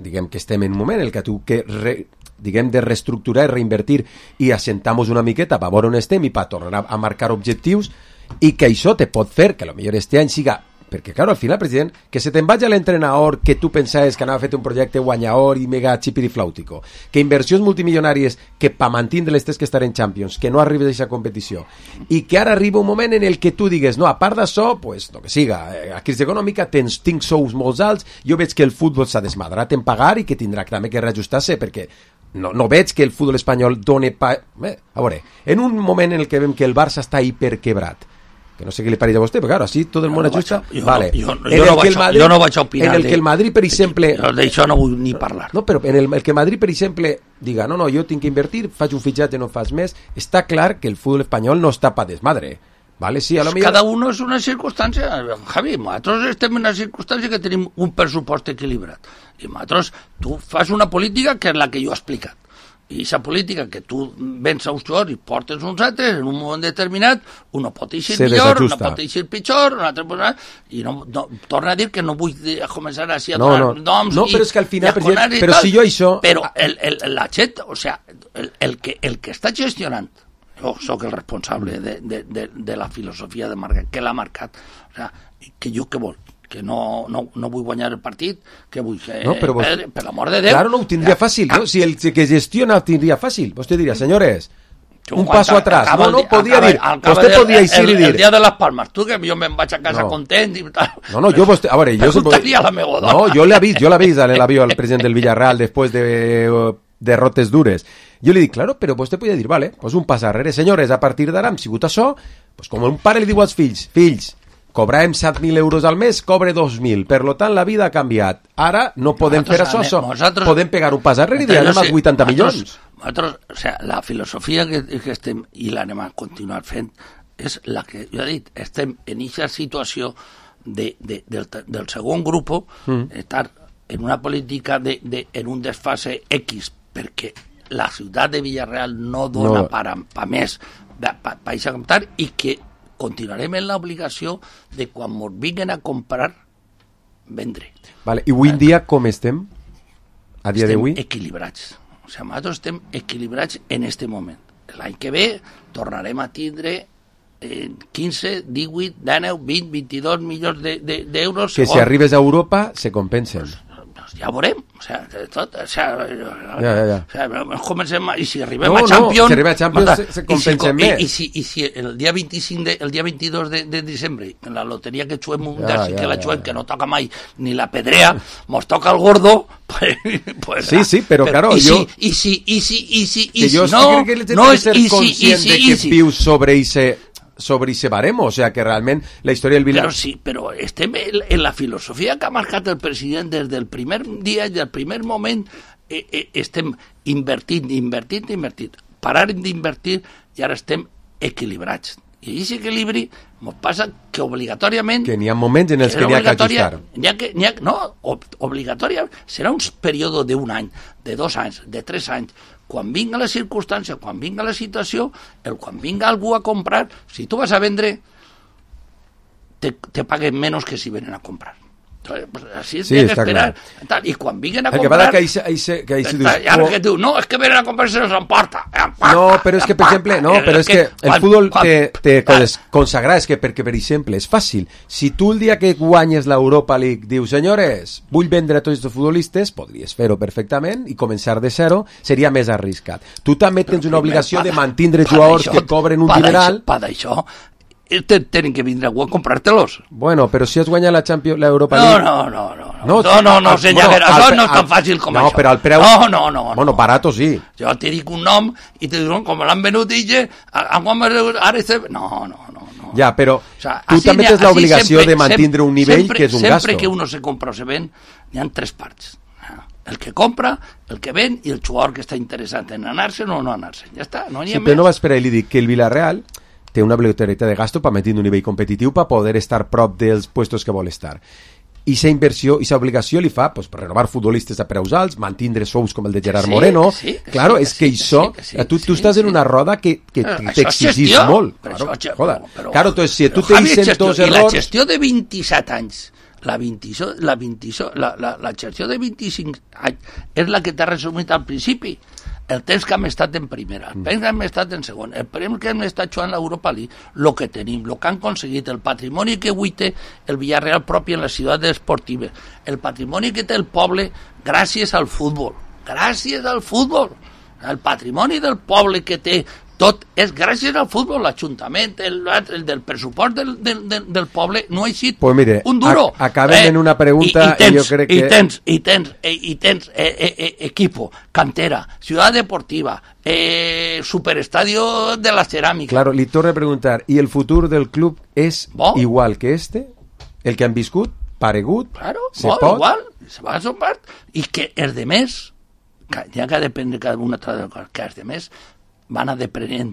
diguem que estem en un moment en el que tu que re, diguem de reestructurar i reinvertir i assentamos una miqueta per veure on estem i per tornar a marcar objectius i que això te pot fer que potser este any siga. Perquè, claro, al final, president, que se te'n vagi a l'entrenador que tu pensaves que anava a fer un projecte guanyador i mega xipiriflàutico, que inversions multimilionàries que pa mantindre-les tens que estar en Champions, que no arribes a aquesta competició, i que ara arriba un moment en el que tu digues, no, a part d'això, pues, el que siga, a crisi econòmica tens, tinc sous molt alts, jo veig que el futbol s'ha desmadrat en pagar i que tindrà també que reajustar-se, perquè no, no veig que el futbol espanyol doni pa... Bé, a veure, en un moment en el que veiem que el Barça està hiperquebrat, que no sé què li pareix a vostè, però claro, així tot el món ajusta. Jo, vale. jo, jo, jo, no vaig, Madrid, jo no vaig a opinar. En el que el Madrid, per exemple... D'això no vull ni parlar. No, però en el, el que Madrid, per exemple, diga, no, no, jo tinc que invertir, faig un fitxatge, no fas més, està clar que el futbol espanyol no està pa desmadre. Vale, sí, a lo millor... Cada uno és una circumstància. Javi, nosaltres estem en una circumstància que tenim un pressupost equilibrat. I nosaltres, tu fas una política que és la que jo he explicat. I aquesta política que tu vens a uns jugadors i portes uns altres, en un moment determinat, un pot eixir millor, un pot eixir pitjor, un altre pot... I no, no, torna a dir que no vull començar així a no, donar no. noms no, i, però és que al final, i a però tal, si jo això... Però el, el, la gent, o sea, el, el, que, el que està gestionant, jo soc el responsable de, de, de, de la filosofia de marca, que l'ha marcat, o sea, que jo què vol? Que no, no, no vull guanyar el partit, que vull que... No, però vos... per, per l'amor de Déu... Claro, no, ho tindria fàcil, no? Si el que gestiona ho tindria fàcil. Vostè diria, senyores, un paso atrás. No, no, podia dir, vostè podia eixir i dir... El dia de les Palmes, tu que jo me'n vaig a casa content i tal. No, no, jo vostè... A veure, jo... Preguntaria la meva dona. No, jo l'he vist, jo l'he vist en l'avió al president del Villarreal després de derrotes dures. Jo li dic, claro, però vostè podia dir, vale, pues un pas arrere. Senyores, a partir d'ara hem sigut això, pues com un pare li diu als fills, fills, cobràvem set mil euros al mes, cobre dos mil. Per lo tant, la vida ha canviat. Ara no podem fer això, això. Podem pegar un pas arrere i dir, anem als vuitanta milions. Nosaltres, o sea, la filosofia que, que estem, i l'anem a continuar fent, és la que jo he dit, estem en aquesta situació de, de, del, del segon grup, mm. estar en una política de, de, en un desfase X, perquè la ciutat de Villarreal no dona no. per, per més per, per, per comptar, i que continuarem en l'obligació de quan ens vinguin a comprar, vendre. Vale. I avui en dia com estem? A dia d'avui? Estem equilibrats. O sigui, nosaltres estem equilibrats en este moment. L'any que ve tornarem a tindre eh, quinze, divuit, dinou, vint, vint-i-dos milions d'euros. De, de, que si arribes a Europa se compensen. Pues, pues ja veurem. O sea, tot, o sea, ja, ja, ja. O sea, comencem, i si arribem no, a Champions... No, si arribem a Champions se, se compensen i si, més. I, i, si, I si el dia vint-i-cinc, de, el dia vint-i-dos de, de diciembre, en la loteria que xuem un ja, ja, que la xuem, ja, ja. que no toca mai ni la pedrea, mos toca el gordo, pues... pues sí, sí, però, però claro, i jo... Si, I si, i si, i si, i si, jo no... crec que no és ser i si, conscient i si, de que si. vius sobre ese... sobre ese baremo, o sea que realment la història del Villar... Però sí, però estem en la filosofia que ha marcat el president des del primer dia i del primer moment, eh, eh, estem invertint, invertint, invertint. Pararem d'invertir i ara estem equilibrats. I aquest equilibri ens passa que obligatòriament... Que n'hi ha moments en els que n'hi ha que ajustar. N'hi ha que, n'hi ha, no, obligatòriament serà un període d'un any, de dos anys, de tres anys. Quan vinga la circumstància, quan vinga la situació, el quan vinga algú a comprar, si tu vas a vendre, te, te paguen menys que si venen a comprar. Entonces, pues, así es sí, de esperar. Tal, y cuando vengan a el comprar... Que ahí se, ahí se, que ahí se está, dius, que diu, no, es que vienen a comprar y se los emporta. No, però és que, per exemple, no, però és que el futbol te, te consagra, és que, perquè, per exemple, és fàcil. Si tu el dia que guanyes l'Europa League dius, senyores, vull vendre a tots els futbolistes, podries fer-ho perfectament i començar de zero, seria més arriscat. Tu també tens una obligació de mantindre jugadors que cobren un dineral... Per això, tenen que vindre a comprar-te-los. Bueno, però si has guanyat la Champions, l'Europa League... No, no, no, no, no, no, no, no senyor, bueno, això al, no és tan fàcil com no, això. No, però el preu... No, no, no. Bueno, barato sí. Jo te dic un nom i te diuen com l'han venut i ja, ara este... No, no, no. no. Ja, però o sea, tu també tens l'obligació de mantindre un nivell sempre, que és un sempre gasto. Sempre que uno se compra o se ven, hi ha tres parts. El que compra, el que ven i el jugador que està interessat en anar-se o no anar-se. Ja està, no n'hi ha sí, més. Però no vas per ahí, li dic que el Villarreal té una obligatorietat de gasto per mantenir un nivell competitiu per poder estar prop dels puestos que vol estar. I aquesta inversió, i aquesta obligació li fa pues, per renovar futbolistes a preus alts, mantindre sous com el de Gerard sí, Moreno. Sí, que claro, sí, és que, que això, sí, que sí, tu, tu sí, estàs sí. en una roda que, que t'exigís molt. Claro, això, joder. Però, però, claro, entonces, si tu te dicen dos errors... I la gestió de vint-i-set anys, la, vint, la, vint, la, la, la gestió de vint-i-cinc anys és la que t'ha resumit al principi. El temps que hem estat en primera, el temps que hem estat en segon, el temps que hem estat jugant l'Europa League, el que tenim, el que han aconseguit, el patrimoni que avui té el Villarreal propi en les ciutats esportives, el patrimoni que té el poble gràcies al futbol, gràcies al futbol, el patrimoni del poble que té tot és gràcies al futbol, l'Ajuntament, el, el del pressupost del, del, del, del poble no ha sigut pues mire, un duro. A, acabem eh, en una pregunta i, i, tens, i jo crec que... I tens, i tens, eh, i tens eh, eh, eh, equipo, cantera, ciutat deportiva, eh, superestadio de la ceràmica. Claro, li torno a preguntar, ¿y el futur del club és bo? Igual que este? El que han viscut? Paregut? Claro, se bo, pot? igual, se va a su part, i que els de més, ja que depèn de cada una altra cosa, que els de més van a deprenent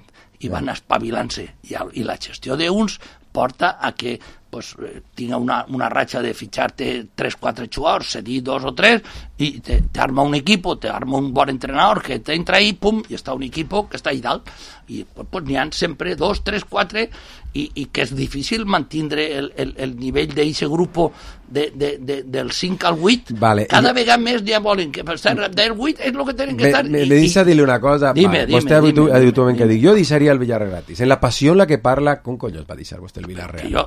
i van espavilant-se i, i la gestió d'uns porta a que pues, tinga una, una ratxa de fitxar-te tres quatre jugadors, cedir dos o tres i t'arma un equip, t'arma un bon entrenador que t'entra ahí, pum, i està un equip que està ahí dalt i pues, pues, n'hi ha sempre dos, tres, quatre i, i que és difícil mantindre el, el, el nivell d'aquest grup de, de, de, del cinc al vuit, vale. cada I... vegada més ja volen que per estar del vuit és el que tenen que me, estar. Me, me deixa dir-li una cosa, dime, vale. dime, vostè dime, habitualment que dic, jo deixaria el Villarreal gratis, en la passió en la que parla, com collons va deixar vostè el Villarreal? Jo,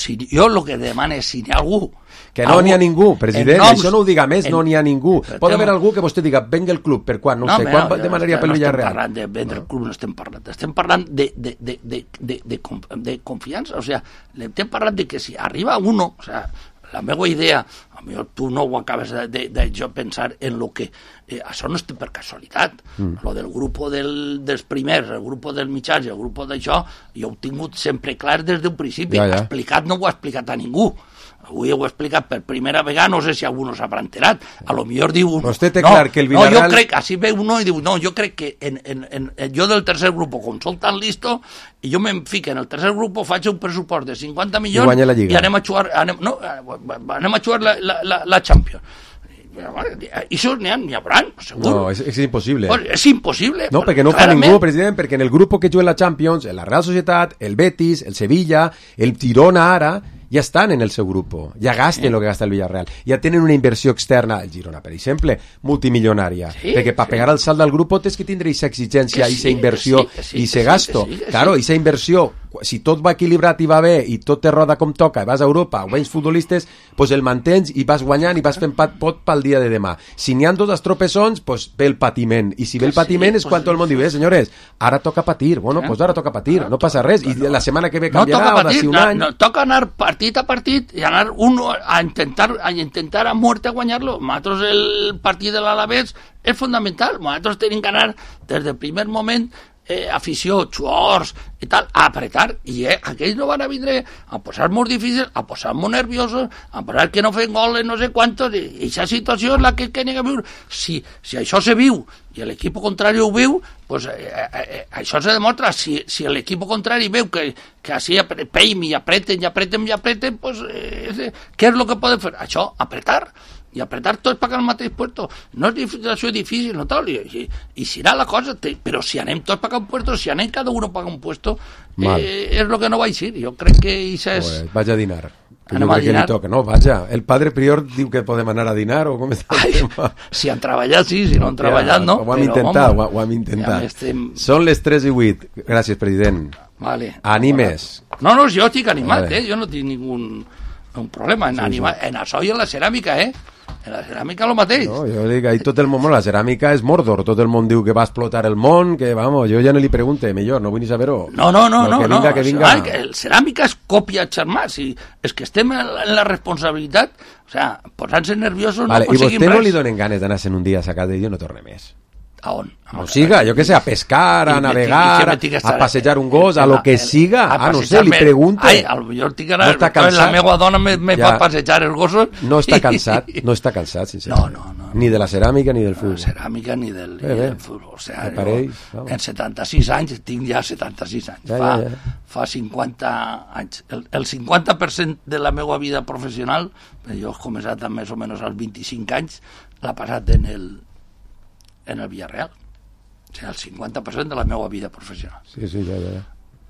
si, jo el que demano és si n'hi ha algú... Que no n'hi ha ningú, president, noms, això no ho diga més, en, no n'hi ha ningú. Pot haver algú que vostè diga, venga el club, per quan? No, no sé, quan no, demanaria pel Villarreal? No estem parlant de vendre el club, no estem parlant. Estem parlant de, de, de, de, de, de, de confiança, o sigui, estem parlant de que si arriba uno, o sigui, la meva idea, a mi tu no ho acabes de, de, de jo pensar en lo que... Eh, això no és per casualitat. Mm. Lo del grup del, dels primers, el grup dels mitjans i el grup d'això, jo ho he tingut sempre clar des d'un principi. Ja, ja. Explicat no ho ha explicat a ningú. Avui ho he explicat per primera vegada, no sé si algú no s'haurà enterat. A lo millor diu... Uno, vostè té clar que el Villarreal... No, jo crec, així ve uno i diu, no, jo crec que en, en, en, en, jo del tercer grup, com soc tan listo, i jo me'n fico en el tercer grup, faig un pressupost de cinquanta milions i, i anem a jugar, anem, no, anem a jugar la, la, la, la Champions. I això n'hi ha, n'hi haurà, segur. No, és, és impossible. Pues és impossible. No, perquè no clarament. Fa ningú, president, perquè en el grup que juga la Champions, la Real Societat, el Betis, el Sevilla, el Girona ara, ja estan en el seu grup, ja gasten el que gasta el Villarreal, ja tenen una inversió externa, el Girona, per exemple, multimilionària, sí, perquè per sí. pegar el salt del grup tens que tindre aquesta exigència, aquesta sí, inversió i sí, aquest sí, gasto. Sí, sí, claro, aquesta sí. inversió, si tot va equilibrat i va bé i tot te roda com toca, i vas a Europa o vens futbolistes, pues el mantens i vas guanyant i vas fent pat pot pel dia de demà. Si n'hi ha dos estropessons, pues ve el patiment, i si ve el patiment sí, és quan pues, tot el món diu, eh, senyores, ara toca patir, bueno, pues ara toca patir, no passa res, i la setmana que ve canviarà, no o d'ací un no, any... No, toca anar partit a partit i anar uno a intentar a intentar a muerte a guanyar-lo. Nosaltres el partit de l'Alavés és fundamental. Nosaltres tenim que anar des del primer moment eh, afició, xuors i tal, a apretar, i eh, aquells no van a vindre a posar molt difícils, a posar molt nerviosos, a posar que no fem goles no sé quantos, i aquesta situació és la que hem de viure. Si, si això se viu i l'equip contrari ho viu, pues, eh, eh, això se demostra. Si, si l'equip contrari veu que, que així peim i apreten i apreten i apreten, pues, eh, què és el que poden fer? Això, apretar. I apretar tots pagant el mateix puesto. No és situació difícil, no tal, i, i, i serà la cosa, te, però si anem tots pagant un puesto, si anem cada uno paga un puesto, eh, és el que no vaig dir. Jo crec que això és... Pues, vaig a dinar. Que jo crec que li toca, no? Vaja, el padre prior diu que podem anar a dinar o com està el tema? Si han treballat, sí, si no han treballat, no. Ho hem intentat, ho, ho hem intentat. Ja estem... Són les tres i vuit. Gràcies, president. Vale. Animes. No, no, jo estic animat, vale. eh? Jo no tinc ningun un problema en, sí, anima... sí. en això i en la ceràmica, eh? En la ceràmica lo mateix. No, jo dic, ahí tot el món, la ceràmica és Mordor, tot el món diu que va explotar el món, que vamos, jo ja no li pregunte, millor, no vull ni saber-ho. No, no, no, no, que vinga, no, que vinga. Ai, que el ceràmica és còpia xermà, si és que estem en la, en la responsabilitat, o sea, posant-se nerviosos vale, no aconseguim res. I vostè no li donen ganes d'anar-se'n un dia a sacar de Déu i no torne més? A on? O siga, jo que sé, a pescar, a navegar, a passejar un gos, a lo que siga. Ah, no sé, li pregunto. Ai, a lo millor tinc que anar, la meva dona me, me ja. fa passejar els gossos. No està cansat, no està cansat, sincerament. No, no, no. Ni de la ceràmica ni del futbol. De la ceràmica ni del, bé, ni bé. del futbol. O sea, jo, en setanta-sis anys, tinc ja setanta-sis anys. Ja, fa, ja, ja. fa cinquanta anys. El, el cinquanta per cent de la meva vida professional, jo he començat més o menys als vint-i-cinc anys, l'ha passat en el, en el Villarreal. O sigui, el cinquanta per cent de la meva vida professional. Sí, sí, ja, ja.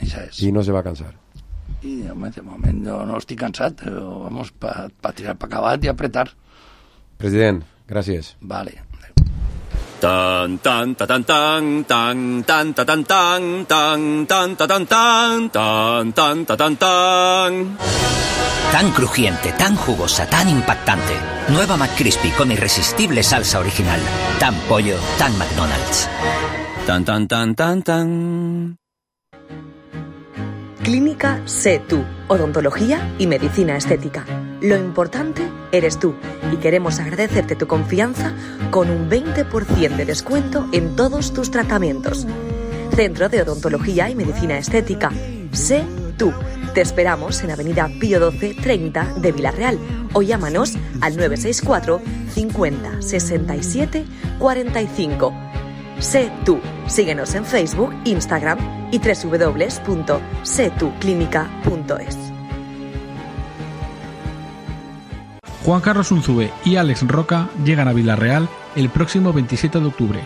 I, I no se va cansar. I de moment jo no estic cansat, però vamos pa, pa tirar pa acabat i apretar. President, gràcies. Vale. Tan tan ta tan tan tan tan ta tan tan tan tan ta tan tan tan tan ta tan tan. Tan crujiente, tan jugosa, tan impactante. Nueva McCrispy con irresistible salsa original. Tan pollo, tan McDonald's. Tan tan tan tan tan. Clínica Sé Tú, odontología y medicina estética. Lo importante eres tú y queremos agradecerte tu confianza con un veinte por ciento de descuento en todos tus tratamientos. Centro de Odontología y Medicina Estética. Sé Tú. Te esperamos en Avenida Pío doce treinta de Villarreal o llámanos al nueve seis cuatro cincuenta sesenta y siete cuarenta y cinco. Sé Tú. Síguenos en Facebook, Instagram y doble u doble u doble u punto sé tú clínica punto es. Juan Carlos Unzúe y Alex Roca llegan a Villarreal el próximo veintisiete de octubre.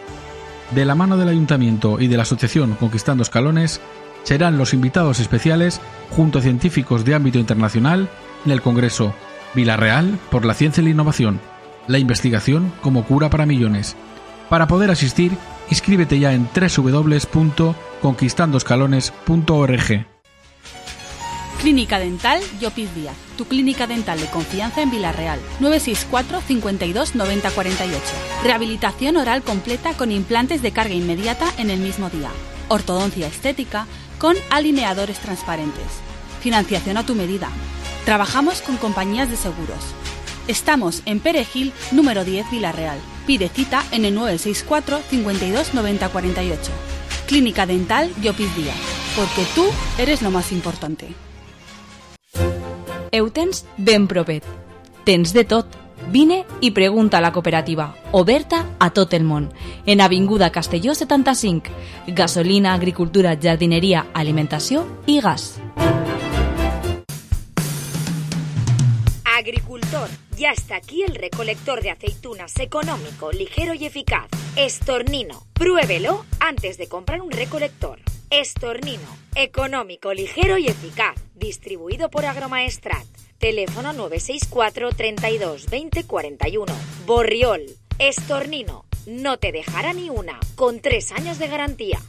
De la mano del Ayuntamiento y de la Asociación Conquistando Escalones, serán los invitados especiales junto a científicos de ámbito internacional en el Congreso Villarreal por la Ciencia y la Innovación, la investigación como cura para millones. Para poder asistir, inscríbete ya en doble u doble u doble u punto conquistando escalones punto org. Clínica Dental Llopis Díaz, tu clínica dental de confianza en Vila-real. nueve seis cuatro, cincuenta y dos, noventa cuarenta y ocho. Rehabilitación oral completa con implantes de carga inmediata en el mismo día. Ortodoncia estética con alineadores transparentes. Financiación a tu medida. Trabajamos con compañías de seguros. Estamos en Perejil, número diez, Vila-real. Pide cita en el nueve seis cuatro, cincuenta y dos, noventa cuarenta y ocho. Clínica Dental Llopis Díaz, porque tú eres lo más importante. Eutens ben propet. Tens de tot. Vine i pregunta a la cooperativa, oberta a tot el món. En Avinguda Castelló setanta-cinc. Gasolina, agricultura, jardineria, alimentació i gas. Agricultor, ya está aquí el recolector de aceitunas económico, ligero y eficaz. Estornino. Pruébelo antes de comprar un recolector. Estornino. Económico, ligero y eficaz. Distribuido por Agromaestrat. Teléfono nueve seis cuatro, treinta y dos, veinte cuarenta y uno. Borriol. Estornino. No te dejará ni una. Con tres años de garantía.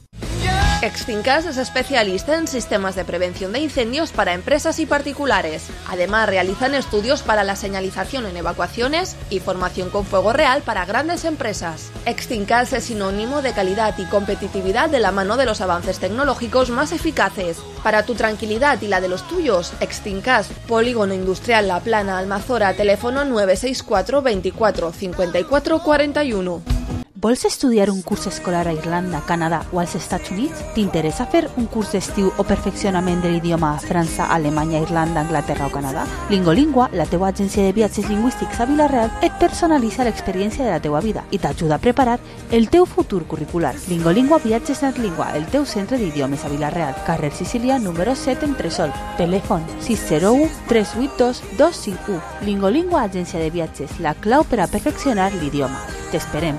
Extincas es especialista en sistemas de prevención de incendios para empresas y particulares. Además, realizan estudios para la señalización en evacuaciones y formación con fuego real para grandes empresas. Extincas es sinónimo de calidad y competitividad de la mano de los avances tecnológicos más eficaces. Para tu tranquilidad y la de los tuyos, Extincas, Polígono Industrial La Plana, Almazora, teléfono nueve seis cuatro, veinticuatro, cincuenta y cuatro cuarenta y uno. Vols estudiar un curs escolar a Irlanda, Canadà o als Estats Units? T'interessa fer un curs d'estiu o perfeccionament de l'idioma a França, Alemanya, Irlanda, Anglaterra o Canadà? Lingolingua, la teua agència de viatges lingüístics a Vila-real, et personalitza l'experiència de la teua vida i t'ajuda a preparar el teu futur curricular. Lingolingua Viatges Natlingua, el teu centre d'idiomes a Vila-real, carrer Sicília, número set, Entresol. Telèfon sis zero u, tres vuit dos, dos cinc u. Lingolingua Agència de Viatges, la clau per a perfeccionar l'idioma. T'esperem.